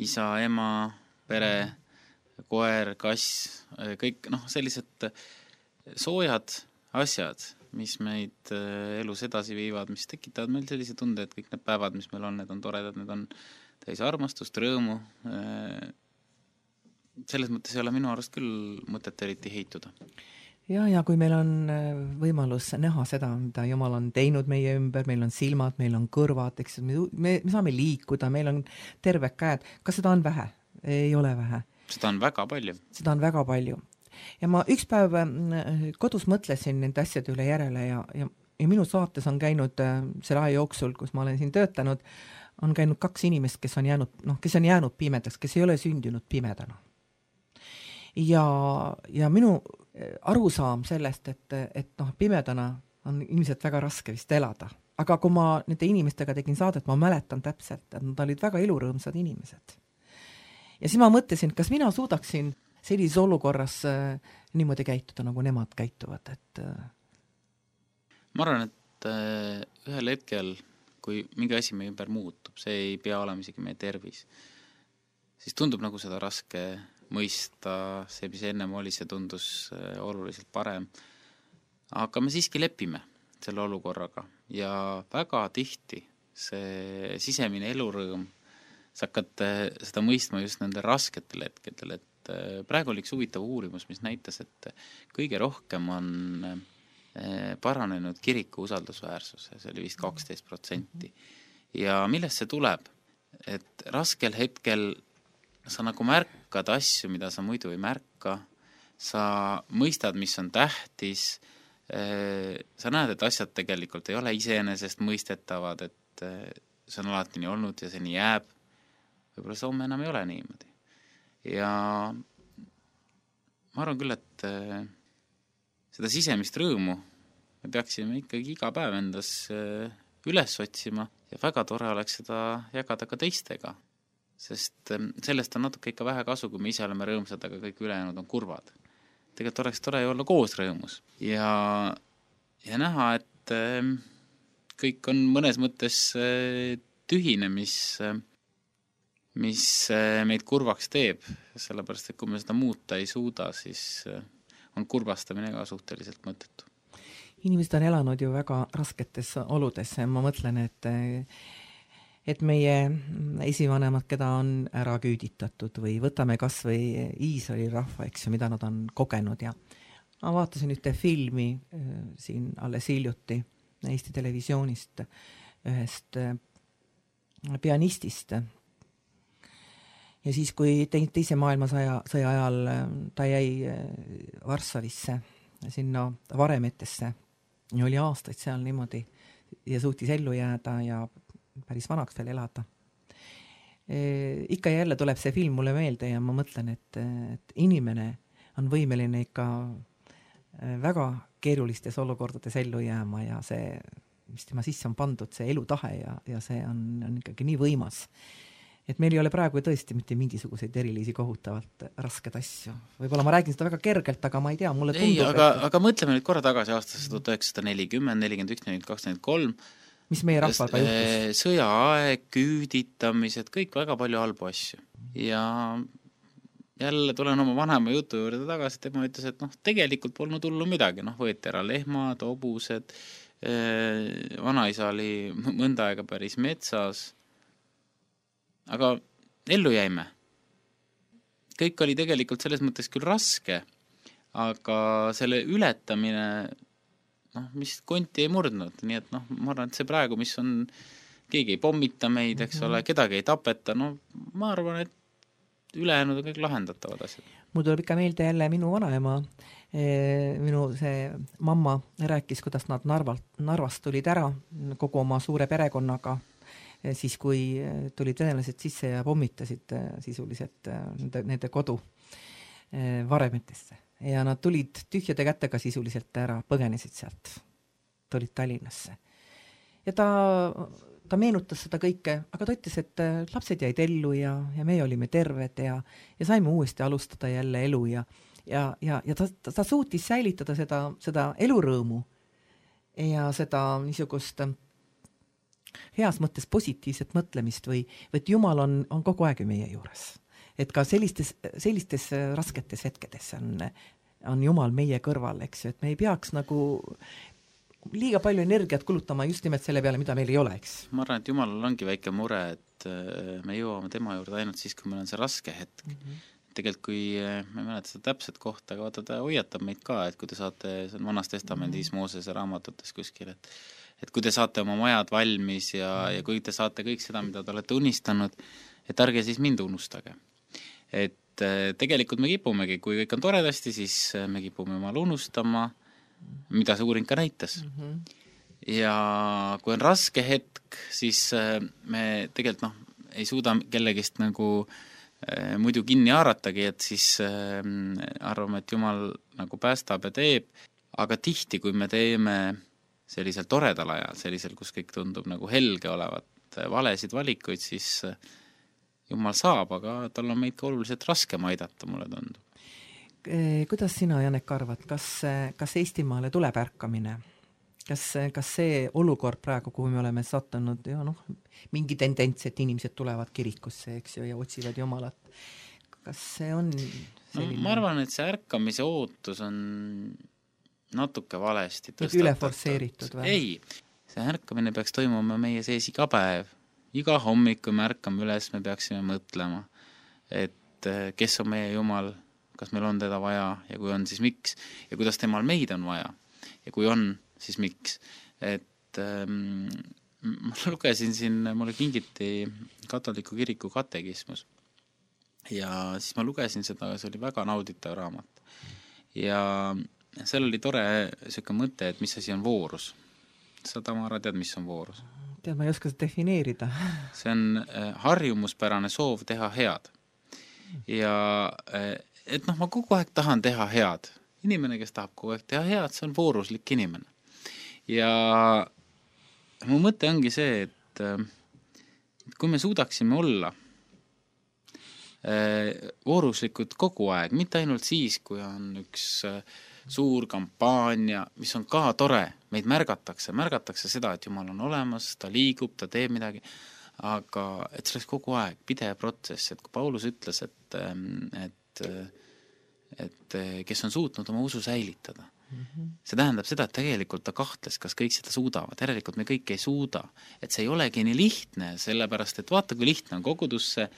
Speaker 4: isa, ema, pere, koer, kass, kõik sellised soojad asjad, mis meid elus edasi viivad, mis tekitavad meil sellise tunde, et kõik need päevad, mis meil on, need on toredad, need on täis armastust, rõõmu. Selles mõttes ei ole minu arust küll mõtet eriti heituda.
Speaker 3: Ja kui meil on võimalus näha seda, mida Jumal on teinud meie ümber, meil on silmad, meil on kõrvad, eks, me saame liikuda, meil on terved käed. Kas seda on vähe? Ei ole vähe.
Speaker 4: Seda on väga palju.
Speaker 3: Seda on väga palju. Ja ma üks päev kodus mõtlesin nende asjade üle järele ja minu saates on käinud selle aja jooksul, kus ma olen siin töötanud, on käinud 2 inimest, kes on jäänud pimedaks, kes ei ole sündinud pimedana. Ja minu arusaam sellest, et pimedana on ilmselt väga raske vist elada. aga kui ma nende inimestega tegin saadet, ma mäletan täpselt, et nad olid väga elurõõmsad inimesed. Ja siis ma mõtlesin, kas mina suudaksin sellises olukorras niimoodi käituda, nagu nemad käituvad, et
Speaker 4: ma arvan, et ühel hetkel, kui mingi asi meie ümber muutub, see ei pea olema isegi meie tervis, siis tundub nagu seda raske mõista, see, mis ennem oli, see tundus oluliselt parem. Aga me siiski lepime selle olukorraga ja väga tihti see sisemine elurõõm, sa hakkad seda mõistma just nende rasketel hetkedel, et praegu oli üks huvitav uurimus, mis näitas, et kõige rohkem on paranenud kiriku usaldusväärsus, see oli vist 12%. Ja millest see tuleb? Et raskel hetkel sa nagu märkad asju, mida sa muidu ei märka, sa mõistad, mis on tähtis, sa näed, et asjad tegelikult ei ole iseenesest mõistetavad, et see on alati nii olnud ja see nii jääb. Võib-olla see homme enam ei ole niimoodi. Ja ma arvan küll, et seda sisemist rõõmu me peaksime ikkagi iga päev endas üles otsima ja väga tore oleks seda jagada ka teistega. Sest sellest on natuke ikka vähe kasu, kui me ise oleme rõõmsad, aga kõik ülejäänud on kurvad. Tegelikult oleks tore olla koos rõõmus ja näha, et kõik on mõnes mõttes tühine, mis meid kurvaks teeb, sellepärast, et kui me seda muuta ei suuda, siis on kurvastamine ka suhteliselt mõttetu.
Speaker 3: Inimesed on elanud ju väga rasketes oludes, ma mõtlen, et meie esivanemad, keda on ära küüditatud või võtame kas või Iisraeli rahva, eks ju, mida nad on kogenud ja ma vaatasin ühte filmi siin alles hiljuti Eesti televisioonist ühest pianistist ja siis, kui teise maailmasõja ajal ta jäi Varssavisse sinna varemetesse ja oli aastaid seal niimoodi ja suutis ellu jääda ja päris vanaks veel elada. Ikka ja jälle tuleb see film mulle meelde ja ma mõtlen, et inimene on võimeline ikka väga keerulistes olukordades ellu jääma ja see, mis tema sisse on pandud, see elutahe ja see on ikkagi nii võimas. Et meil ei ole praegu tõesti mitte mingisuguseid erilisi kohutavalt rasked asju. Võib-olla ma räägin seda väga kergelt, aga ma ei tea, mulle tundub...
Speaker 4: Aga mõtleme nüüd korra tagasi aastasse 1940, 41, 42, 43,
Speaker 3: mis meie rahval juhtus?
Speaker 4: Sõjaaeg, küüditamised, kõik väga palju halbu asju. Ja jälle tulen oma vanema jutu juurde tagasi, tema ütles, et tegelikult polnud hullu midagi, võeti ära lehmad, hobused, vanaisa oli mõnda aega päris metsas, aga ellu jäime. Kõik oli tegelikult selles mõttes küll raske, aga selle ületamine mis konti ei murdnud, nii et ma arvan, et see praegu, mis on, keegi ei pommita meid, eks ole, kedagi ei tapeta, ma arvan, et ülejäänud on kõik lahendatavad asjad.
Speaker 3: Mul tuleb ikka meelde jälle minu vanaema, minu see mamma rääkis, kuidas nad Narvast tulid ära kogu oma suure perekonnaga, siis kui tulid venelased sisse ja pommitasid sisuliselt nende kodu varemetesse. Ja nad tulid tühjade kätega sisuliselt ära, põgenesid sealt, tulid Tallinnasse. Ja ta meenutas seda kõike, aga ta ütles, et lapsed jäid ellu ja me olime terved ja saime uuesti alustada jälle elu ja ta suutis säilitada seda elurõõmu ja seda niisugust heas mõttes positiivset mõtlemist või et Jumal on kogu aeg meie juures. Et ka sellistes rasketes hetkedes on Jumal meie kõrval, eks ju, et me ei peaks nagu liiga palju energiat kulutama just nimelt selle peale, mida meil ei ole, eks.
Speaker 4: Ma arvan, et Jumalal ongi väike mure, et me jõuame tema juurde ainult siis, kui meil on see raske hetk. Tegelikult kui, ma ei mäleta seda täpset kohta, aga vaata, ta hoiatab meid ka, et kui te saate, see on Vanas Testamendis Moosese raamatutes kuskil, et kui te saate oma majad valmis ja kui te saate kõik seda, mida te olete unistanud, et ärge siis mind unustage. Et tegelikult me kipumegi, kui kõik on toredasti, siis me kipume Jumal unustama, mida see uuring ka näitas. Ja kui on raske hetk, siis me tegelikult ei suuda kellegist nagu muidu kinni haaratagi, et siis arvame, et Jumal nagu päästab ja teeb, aga tihti, kui me teeme sellisel toredal ajal, sellisel, kus kõik tundub nagu helge olevat, valesid valikuid, siis Jumal saab, aga tal on meid ka oluliselt raskem aidata, mulle tundub.
Speaker 3: Kuidas sina, Janek, arvad, kas Eestimaale tuleb ärkamine? Kas see olukord praegu, kuhu me oleme sattunud, ja mingi tendents, et inimesed tulevad kirikusse, eks ju, ja otsivad Jumalat. Kas see on selline?
Speaker 4: Ma arvan, et see ärkamise ootus on natuke valesti tõstatud.
Speaker 3: Üle forsseeritud või?
Speaker 4: Ei, see ärkamine peaks toimuma meie sees iga päev. Iga hommik, kui me ärkame üles, me peaksime mõtlema, et kes on meie Jumal, kas meil on teda vaja ja kui on, siis miks ja kuidas temal meid on vaja ja kui on, siis miks. Et ma lugesin siin, mulle kingiti katoliku kiriku katekismus ja siis ma lugesin seda, see oli väga nauditav raamat ja seal oli tore selline mõte, et mis asi on voorus. Sa, Tamara, tead, mis on voorus?
Speaker 3: Tead, ma ei oska seda defineerida.
Speaker 4: See on harjumuspärane soov teha head. Ja et ma kogu aeg tahan teha head. Inimene, kes tahab kogu aeg teha head, see on vooruslik inimene. Ja mu mõte ongi see, et kui me suudaksime olla vooruslikud kogu aeg, mitte ainult siis, kui on üks suur kampaania, mis on ka tore, meid märgatakse seda, et Jumal on olemas, ta liigub, ta teeb midagi, aga et see oleks kogu aeg pidev protsess, et kui Paulus ütles, et kes on suutnud oma usu säilitada, see tähendab seda, et tegelikult ta kahtles, kas kõik seda suudavad, järelikult me kõik ei suuda, et see ei olegi nii lihtne, sellepärast, et vaata, kui lihtne on kogudusse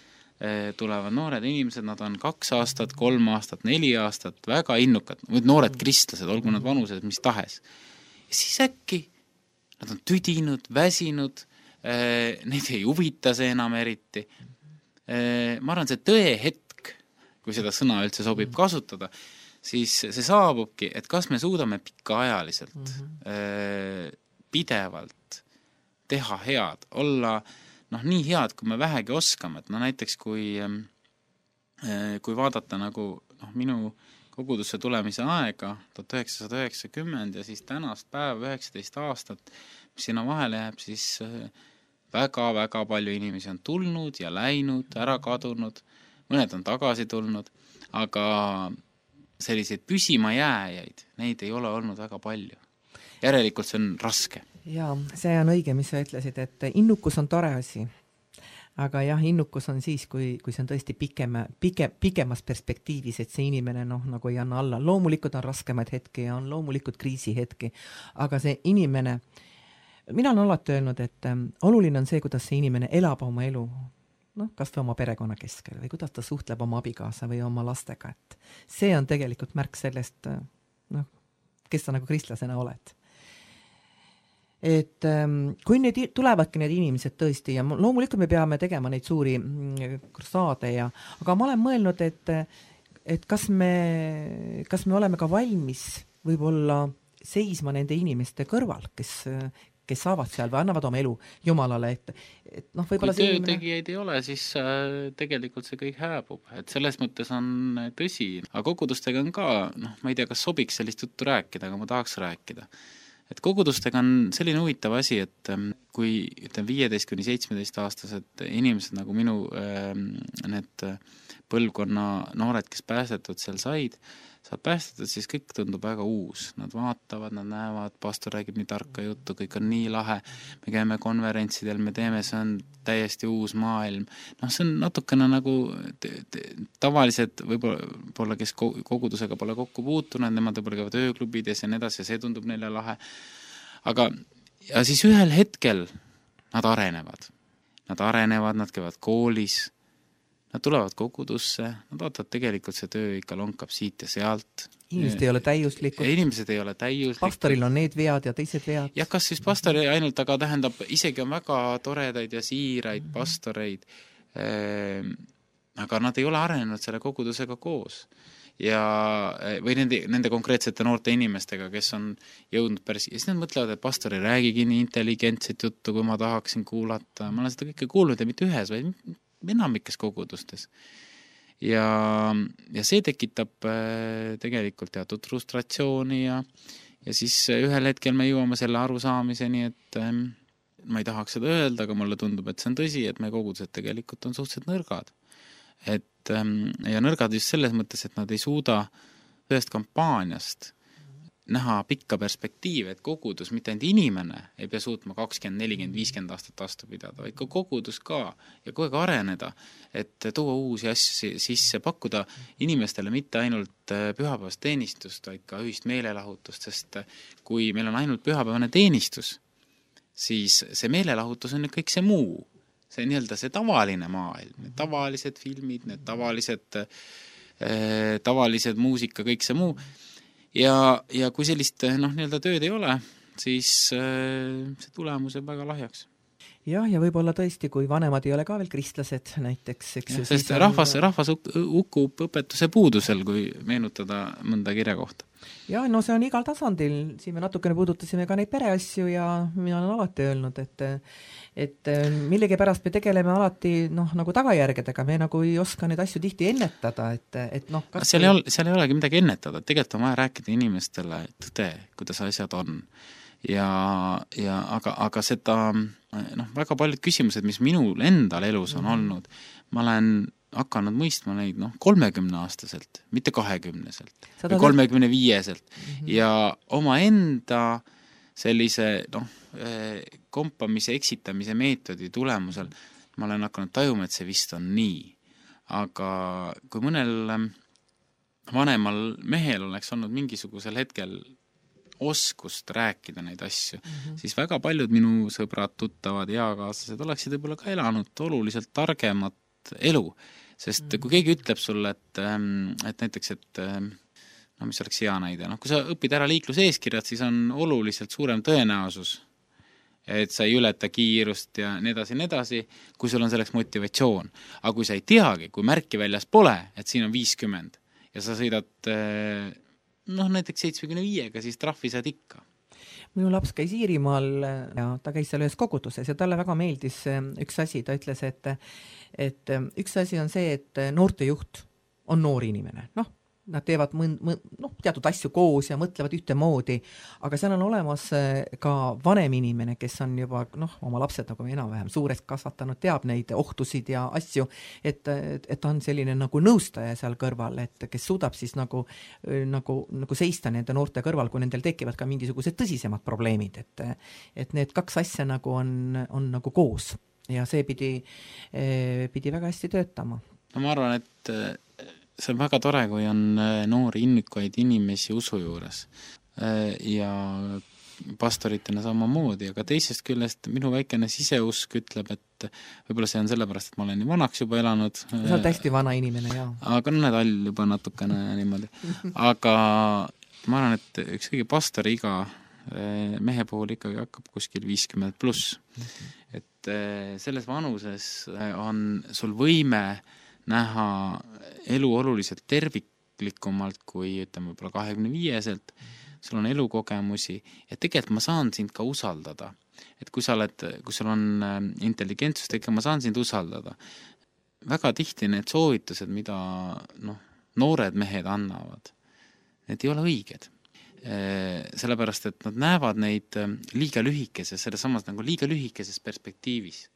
Speaker 4: tulevad noored inimesed, nad on 2 aastat, 3 aastat, 4 aastat, väga innukad, noored kristlased, olgu nad vanused, mis tahes. Ja siis äkki nad on tüdinud, väsinud, neid ei huvita see enam eriti. Ma arvan, see tõe hetk, kui seda sõna üldse sobib kasutada, siis see saabubki, et kas me suudame pikaajaliselt, pidevalt teha head, olla nii head, kui me vähegi oskame, et näiteks kui vaadata nagu minu kogudusse tulemise aega 1990 ja siis tänast päeva 19 aastat, mis sinna vahele jääb, siis väga-väga palju inimesi on tulnud ja läinud, ära kadunud, mõned on tagasi tulnud, aga selliseid püsima jääjaid, neid ei ole olnud väga palju. Järelikult see on raske.
Speaker 3: Jaa, see on õige, mis sa ütlesid, et innukus on tore asi. Aga jah, innukus on siis, kui see on tõesti pikemas perspektiivis, et see inimene nagu ei anna alla. Loomulikult on raskemaid hetki ja on loomulikult kriisihetki, aga see inimene, mina olen alati öelnud, et oluline on see, kuidas see inimene elab oma elu, kas või oma perekonna keskel või kuidas ta suhtleb oma abikaasa või oma lastega. Et see on tegelikult märk sellest, kes sa nagu kristlasena oled. Et kui need tulevadki need inimesed tõesti ja loomulikult me peame tegema neid suuri saade aga ma olen mõelnud, et kas me oleme ka valmis võib-olla seisma nende inimeste kõrval, kes saavad seal või annavad oma elu Jumalale, et võib-olla
Speaker 4: kui töötegijaid ei ole, siis tegelikult see kõik hääbub, et selles mõttes on tõsi, aga kogudustega on ka, ma ei tea, kas sobiks sellist juttu rääkida, aga ma tahaks rääkida. Et kogudustega on selline huvitav asi, et kui 15-17 aastased inimesed nagu minu need põlvkonna noored, kes päästetud seal said päästetud, siis kõik tundub väga uus. Nad vaatavad, nad näevad, pastor räägib nii tarka juttu, kõik on nii lahe, me käime konverentsidel, me teeme, see on täiesti uus maailm. See on natukene nagu tavalised, võib-olla kes kogudusega pole kokku puutunud, nemad võib-olla käivad ööklubides ja nii edasi, ja see tundub neile lahe. Aga ja siis ühel hetkel nad arenevad, nad käivad koolis, nad tulevad kogudusse, nad vaatavad tegelikult see töö ikka lonkab siit ja sealt.
Speaker 3: Inimesed ei ole täiuslikud.
Speaker 4: Inimesed ei ole täiuslikud.
Speaker 3: Pastoril on need vead ja teised vead.
Speaker 4: Ja kas siis pastori ainult, aga tähendab, isegi on väga toredaid ja siiraid pastoreid, aga nad ei ole arenenud selle kogudusega koos. Või nende konkreetsete noorte inimestega, kes on jõudnud päris, ja siis nad mõtlevad, et pastor ei räägigi nii intelligentset juttu, kui ma tahaksin kuulata. Ma olen seda kõike kuulnud ja mitte ühes, vaid enamikes kogudustes. Ja see tekitab tegelikult teatud frustratsiooni ja siis ühel hetkel me jõuame selle arusaamiseni, et ma ei tahaks seda öelda, aga mulle tundub, et see on tõsi, et meie kogudused tegelikult on suhteliselt nõrgad. Ja nõrgad just selles mõttes, et nad ei suuda ühest kampaaniast näha pikka perspektiivi, et kogudus, mitte ainult inimene ei pea suutma 20, 40, 50 aastat vastu pidada, vaid ka kogudus ka ja kogu aeg areneda, et tuua uusi asju sisse, pakkuda inimestele mitte ainult pühapäevast teenistust, vaid ka ühist meelelahutust, sest kui meil on ainult pühapäevane teenistus, siis see meelelahutus on kõik see muu. See nii-öelda see tavaline maailm, need tavalised filmid, need tavalised muusika, kõik see muu. Ja kui sellist nii-öelda tööd ei ole, siis see tulemus on väga lahjaks.
Speaker 3: Jah, ja võib-olla tõesti, kui vanemad ei ole ka veel kristlased näiteks.
Speaker 4: Sest rahvas hukkub õpetuse puudusel, kui meenutada mõnda kirja kohta.
Speaker 3: Ja, no see on igal tasandil. Siin me natukene puudutasime ka neid pereasju ja mina olen alati öelnud, et millegi pärast me tegeleme alati nagu tagajärgedega. Me nagu ei oska neid asju tihti ennetada.
Speaker 4: Seal ei olegi midagi ennetada. Tegelikult on vaja rääkida inimestele tõde, kuidas asjad on. Aga seda väga paljud küsimused, mis minul endal elus on olnud, ma olen hakanud mõistma neid 30-aastaselt, mitte 20-selt või 35-selt ja oma enda sellise kompamise, eksitamise meetodi tulemusel ma olen hakanud tajuma, et see vist on nii. Aga kui mõnel vanemal mehel oleks olnud mingisugusel hetkel oskust rääkida neid asju, siis väga paljud minu sõbrad, tuttavad, eakaaslased oleksid võib-olla ka elanud oluliselt targemat elu. Sest kui keegi ütleb sulle, et näiteks, mis oleks hea näide, kui sa õpid ära liikluseeskirjad, siis on oluliselt suurem tõenäosus, et sa ei ületa kiirust ja nii edasi, kui sul on selleks motivatsioon. Aga kui sa ei teagi, kui märki väljas pole, et siin on 50 ja sa sõidad näiteks 75-ga, siis trahvi saad ikka.
Speaker 3: Minu laps käis Iirimaal ja ta käis seal ühes koguduses ja talle väga meeldis üks asi, ta ütles, et üks asi on see, et noortejuht on noor inimene, nad teevad teatud asju koos ja mõtlevad ühtemoodi, aga seal on olemas ka vanem inimene, kes on juba oma lapsed nagu enam-vähem suurest kasvatanud, teab neid ohtusid ja asju, et ta on selline nagu nõustaja seal kõrval, et kes suudab siis nagu seista nende noorte kõrval, kui nendel tekivad ka mingisugused tõsisemad probleemid, et need kaks asja nagu on nagu koos ja see pidi väga hästi töötama.
Speaker 4: Ma arvan, et see on väga tore, kui on noori innikuid inimesi usu juures ja pastoritena samamoodi, aga teisest küljest minu väikene siseusk ütleb, et võib-olla see on sellepärast, et ma olen nii vanaks juba elanud.
Speaker 3: Sa oled hästi vana inimene, jah.
Speaker 4: Aga need all juba natukene niimoodi. Aga ma arvan, et üks kõige pastori iga mehe puhul ikkagi hakkab kuskil 50+. Et selles vanuses on sul võime näha elu oluliselt terviklikumalt kui võib-olla 25-selt, sul on elukogemusi ja tegelikult ma saan sind ka usaldada. Et kui sul on intelligentsust, ma saan sind usaldada. Väga tihti need soovitused, mida noored mehed annavad, need ei ole õiged. Sellepärast, et nad näevad neid liiga lühikeses, selles samas nagu liiga lühikeses perspektiivis.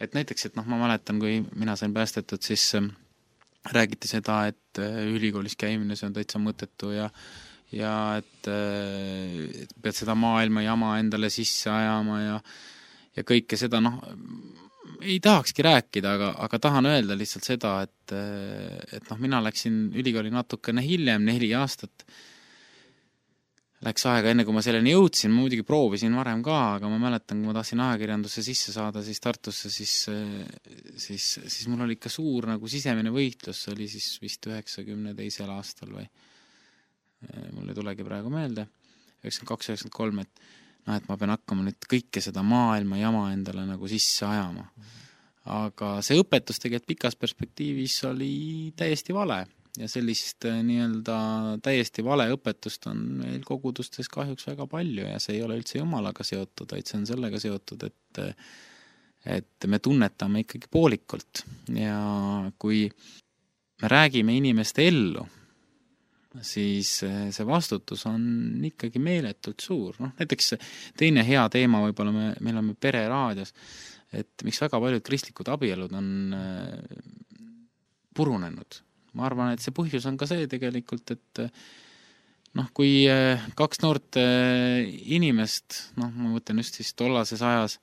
Speaker 4: Et näiteks, et ma mäletan, kui mina sain päästetud, siis räägiti seda, et ülikoolis käimine, see on täitsa mõttetu ja et pead seda maailma jama endale sisse ajama ja kõike seda, ei tahakski rääkida, aga tahan öelda lihtsalt seda, et mina läksin ülikooli natukene hiljem, 4 aastat, läks aega enne, kui ma selleni jõudsin, ma muidugi proovisin varem ka, aga ma mäletan, kui ma tahtsin ajakirjandusse sisse saada, siis Tartusse, siis mul oli ikka suur nagu sisemine võitlus, see oli siis vist 92. aastal või mul ei tulegi praegu meelde, 92-93, et ma pean hakkama nüüd kõike seda maailma jama endale nagu sisse ajama. Aga see õpetus tegelikult pikas perspektiivis oli täiesti vale. Ja sellist nii-öelda täiesti vale õpetust on meil kogudustes kahjuks väga palju ja see ei ole üldse Jumalaga seotud, vaid see on sellega seotud, et me tunnetame ikkagi poolikult ja kui me räägime inimeste ellu, siis see vastutus on ikkagi meeletult suur. Noh, näiteks teine hea teema võib-olla me oleme pereraadios, et miks väga paljud kristlikud abielud on purunenud. Ma arvan, et see põhjus on ka see tegelikult, et noh, kui kaks noort inimest, noh, ma mõtlen just siis tollases ajas,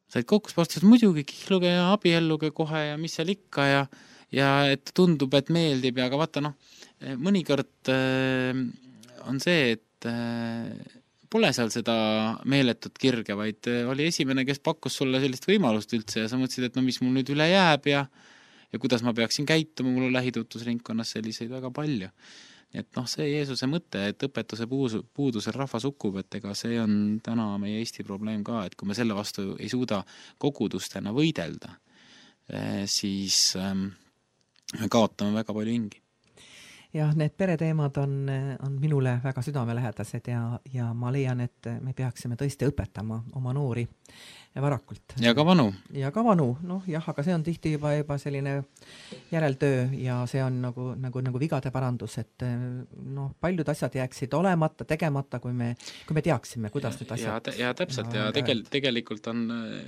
Speaker 4: said kokku, vastasid muidugi kihluge ja abielluge kohe ja mis seal ikka ja et tundub, et meeldib ja aga vaata, noh, mõnikord on see, et pole seal seda meeletut kirge, vaid oli esimene, kes pakkus sulle sellist võimalust üldse ja sa mõtlesid, et no mis mul nüüd üle jääb ja kuidas ma peaksin käituma, mul on lähitutvusringkonnas selliseid väga palju. Et noh, see Jeesuse mõte, et õpetuse puudusel rahvas hukkub, et ega see on täna meie Eesti probleem ka, et kui me selle vastu ei suuda kogudustena võidelda, siis me kaotame väga palju hingi.
Speaker 3: Jah, need pereteemad on minule väga südamelähedased ja ma leian, et me peaksime tõesti õpetama oma noori varakult.
Speaker 4: Ja ka vanu.
Speaker 3: Ja ka vanu, noh jah, aga see on tihti juba selline järeltöö ja see on nagu vigade parandus, et noh, paljud asjad jääksid olemata, tegemata, kui me teaksime, kuidas need asjad...
Speaker 4: Ja täpselt, ja tegelikult on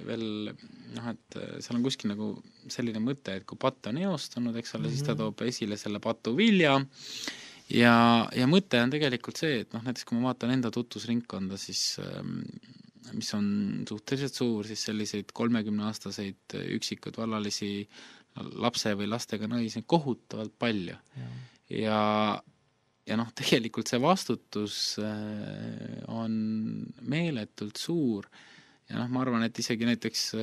Speaker 4: veel, noh, et seal on kuskil nagu selline mõte, et kui patt on eostunud, eks ole, siis ta toob esile selle patu vilja ja mõte on tegelikult see, et noh, näiteks kui ma vaatan enda tutvusringkonda, siis mis on suhteliselt suur, siis selliseid 30-aastaseid üksikud vallalisi lapse või lastega naisi kohutavalt palju. Ja noh, tegelikult see vastutus on meeletult suur ja noh, ma arvan, et isegi näiteks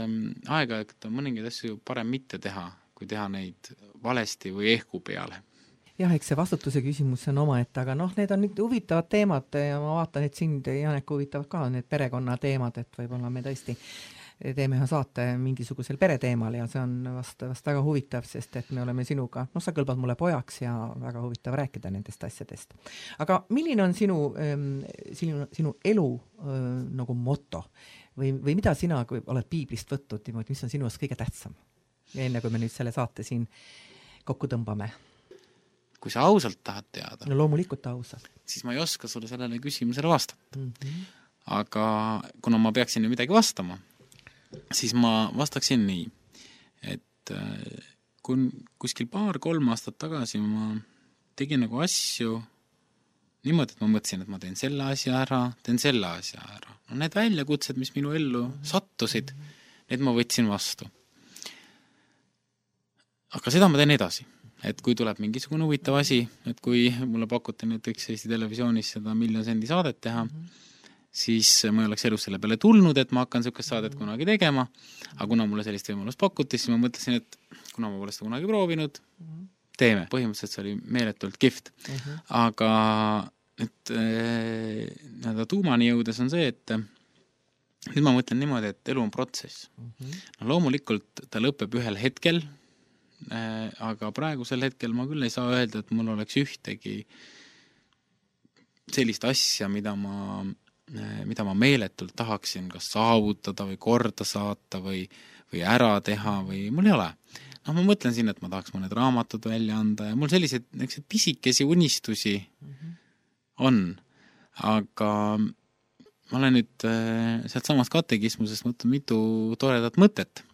Speaker 4: aeg-ajalt on mõningaid asju parem mitte teha, kui teha neid valesti või ehku peale.
Speaker 3: Jah, eks see vastutuse küsimus on omaette, aga noh, need on nüüd huvitavad teemad ja ma vaatan, et sind, Janek, huvitavad ka need perekonna teemad, et võib-olla me tõesti teeme ühe saate mingisugusel pereteemal ja see on vast väga huvitav, sest et me oleme sinuga, noh, sa kõlbad mulle pojaks ja väga huvitav rääkida nendest asjadest. Aga milline on sinu elu nagu moto või mida sina, kui oled piiblist võtnud, mis on sinu kõige tähtsam? Ja enne, kui me nüüd selle saate siin kokku tõmbame.
Speaker 4: Kui sa ausalt tahad teada,
Speaker 3: no loomulikult ausalt,
Speaker 4: siis ma ei oska sulle sellele küsimusele vastata. Aga kuna ma peaksin ju midagi vastama, siis ma vastaksin nii, et kui kuskil 2-3 aastat tagasi ma tegin nagu asju niimoodi, et ma mõtlesin, et ma teen selle asja ära. No need väljakutsed, mis minu ellu sattusid, need ma võtsin vastu. Aga seda ma teen edasi. Et kui tuleb mingisugune huvitav asi, et kui mulle pakuti näiteks Eesti Televisioonis seda 1 000 000 sendi saadet teha, siis ma ei oleks elus selle peale tulnud, et ma hakkan sellist saadet kunagi tegema, aga kuna mulle sellist võimalust pakuti, siis ma mõtlesin, et kuna ma pole seda kunagi proovinud, teeme. Põhimõtteliselt see oli meeletult kihvt. Aga tuumani jõudes on see, et nüüd ma mõtlen niimoodi, et elu on protsess. No, loomulikult ta lõpeb ühel hetkel, aga praegusel hetkel ma küll ei saa öelda, et mul oleks ühtegi sellist asja, mida ma meeletult tahaksin kas saavutada või korda saata või ära teha või mul ei ole. No, ma mõtlen siin, et ma tahaks mõned raamatud välja anda ja mul selliseid pisikesi unistusi on, aga ma olen nüüd sealt samast katekismusest mõtlen mitu toredat mõtet.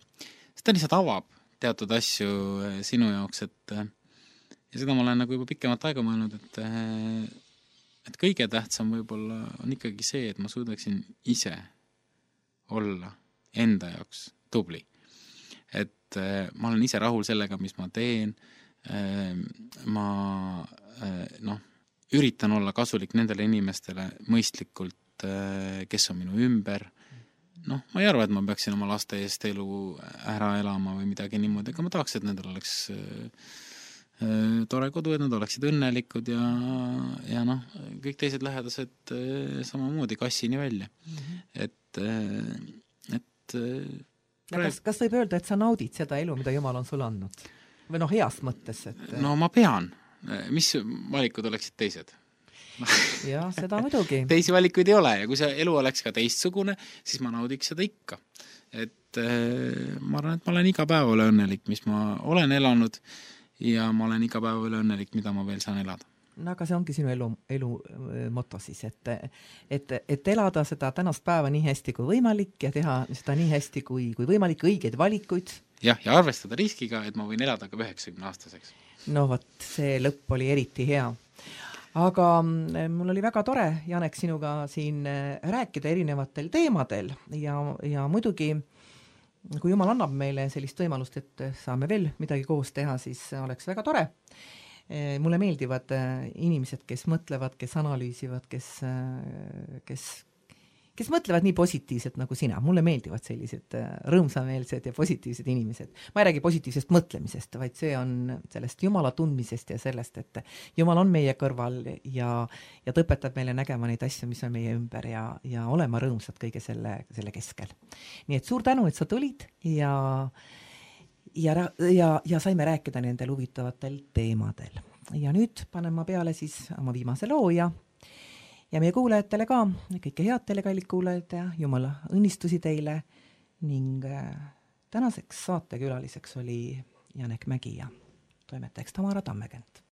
Speaker 4: Seda lihtsalt avab teatud asju sinu jaoks, ja seda ma olen nagu juba pikemat aega mõelnud, et kõige tähtsam võib-olla on ikkagi see, et ma suudaksin ise olla enda jaoks tubli. Et ma olen ise rahul sellega, mis ma teen, ma üritan olla kasulik nendele inimestele mõistlikult, kes on minu ümber. Noh, ma ei arva, et ma peaksin oma laste eest elu ära elama või midagi niimoodi, aga ma tahaks, et nendel oleks tore kodu, et nad oleksid õnnelikud ja noh, kõik teised lähedased samamoodi kassini välja.
Speaker 3: Kas võib öelda, et sa naudid seda elu, mida Jumal on sulle andnud? Või noh, heas mõttes?
Speaker 4: No ma pean. Mis valikud oleksid teised?
Speaker 3: Jah, seda muidugi.
Speaker 4: Teisi valikuid ei ole ja kui see elu oleks ka teistsugune, siis ma naudiks seda ikka. Et ma arvan, et ma olen iga päev õnnelik, mis ma olen elanud ja ma olen iga päev õnnelik, mida ma veel saan elada.
Speaker 3: No aga see ongi sinu elu moto siis, et elada seda tänast päeva nii hästi kui võimalik ja teha seda nii hästi kui võimalik, õigeid valikuid.
Speaker 4: Ja arvestada riskiga, et ma võin elada ka 90-aastaseks.
Speaker 3: No vot, see lõpp oli eriti hea. Aga mul oli väga tore, Janek, sinuga siin rääkida erinevatel teemadel ja muidugi, kui Jumal annab meile sellist võimalust, et saame veel midagi koos teha, siis oleks väga tore. Mulle meeldivad inimesed, kes mõtlevad, kes analüüsivad, kes mõtlevad nii positiivselt nagu sina. Mulle meeldivad sellised rõõmsameelsed ja positiivsed inimesed. Ma ei räägi positiivsest mõtlemisest, vaid see on sellest Jumala tundmisest ja sellest, et Jumal on meie kõrval ja ta õpetab meile nägema neid asju, mis on meie ümber ja olema rõõmsad kõige selle keskel. Nii et suur tänu, et sa tulid ja saime rääkida nendel huvitavatel teemadel. Ja nüüd panen ma peale siis oma viimase loo ja meie kuulajatele ka, kõike head teile, kallid kuulajad ja Jumala õnnistusi teile ning tänaseks saatekülaliseks oli Janek Mägi ja toimetajaks Tamara Tammekent.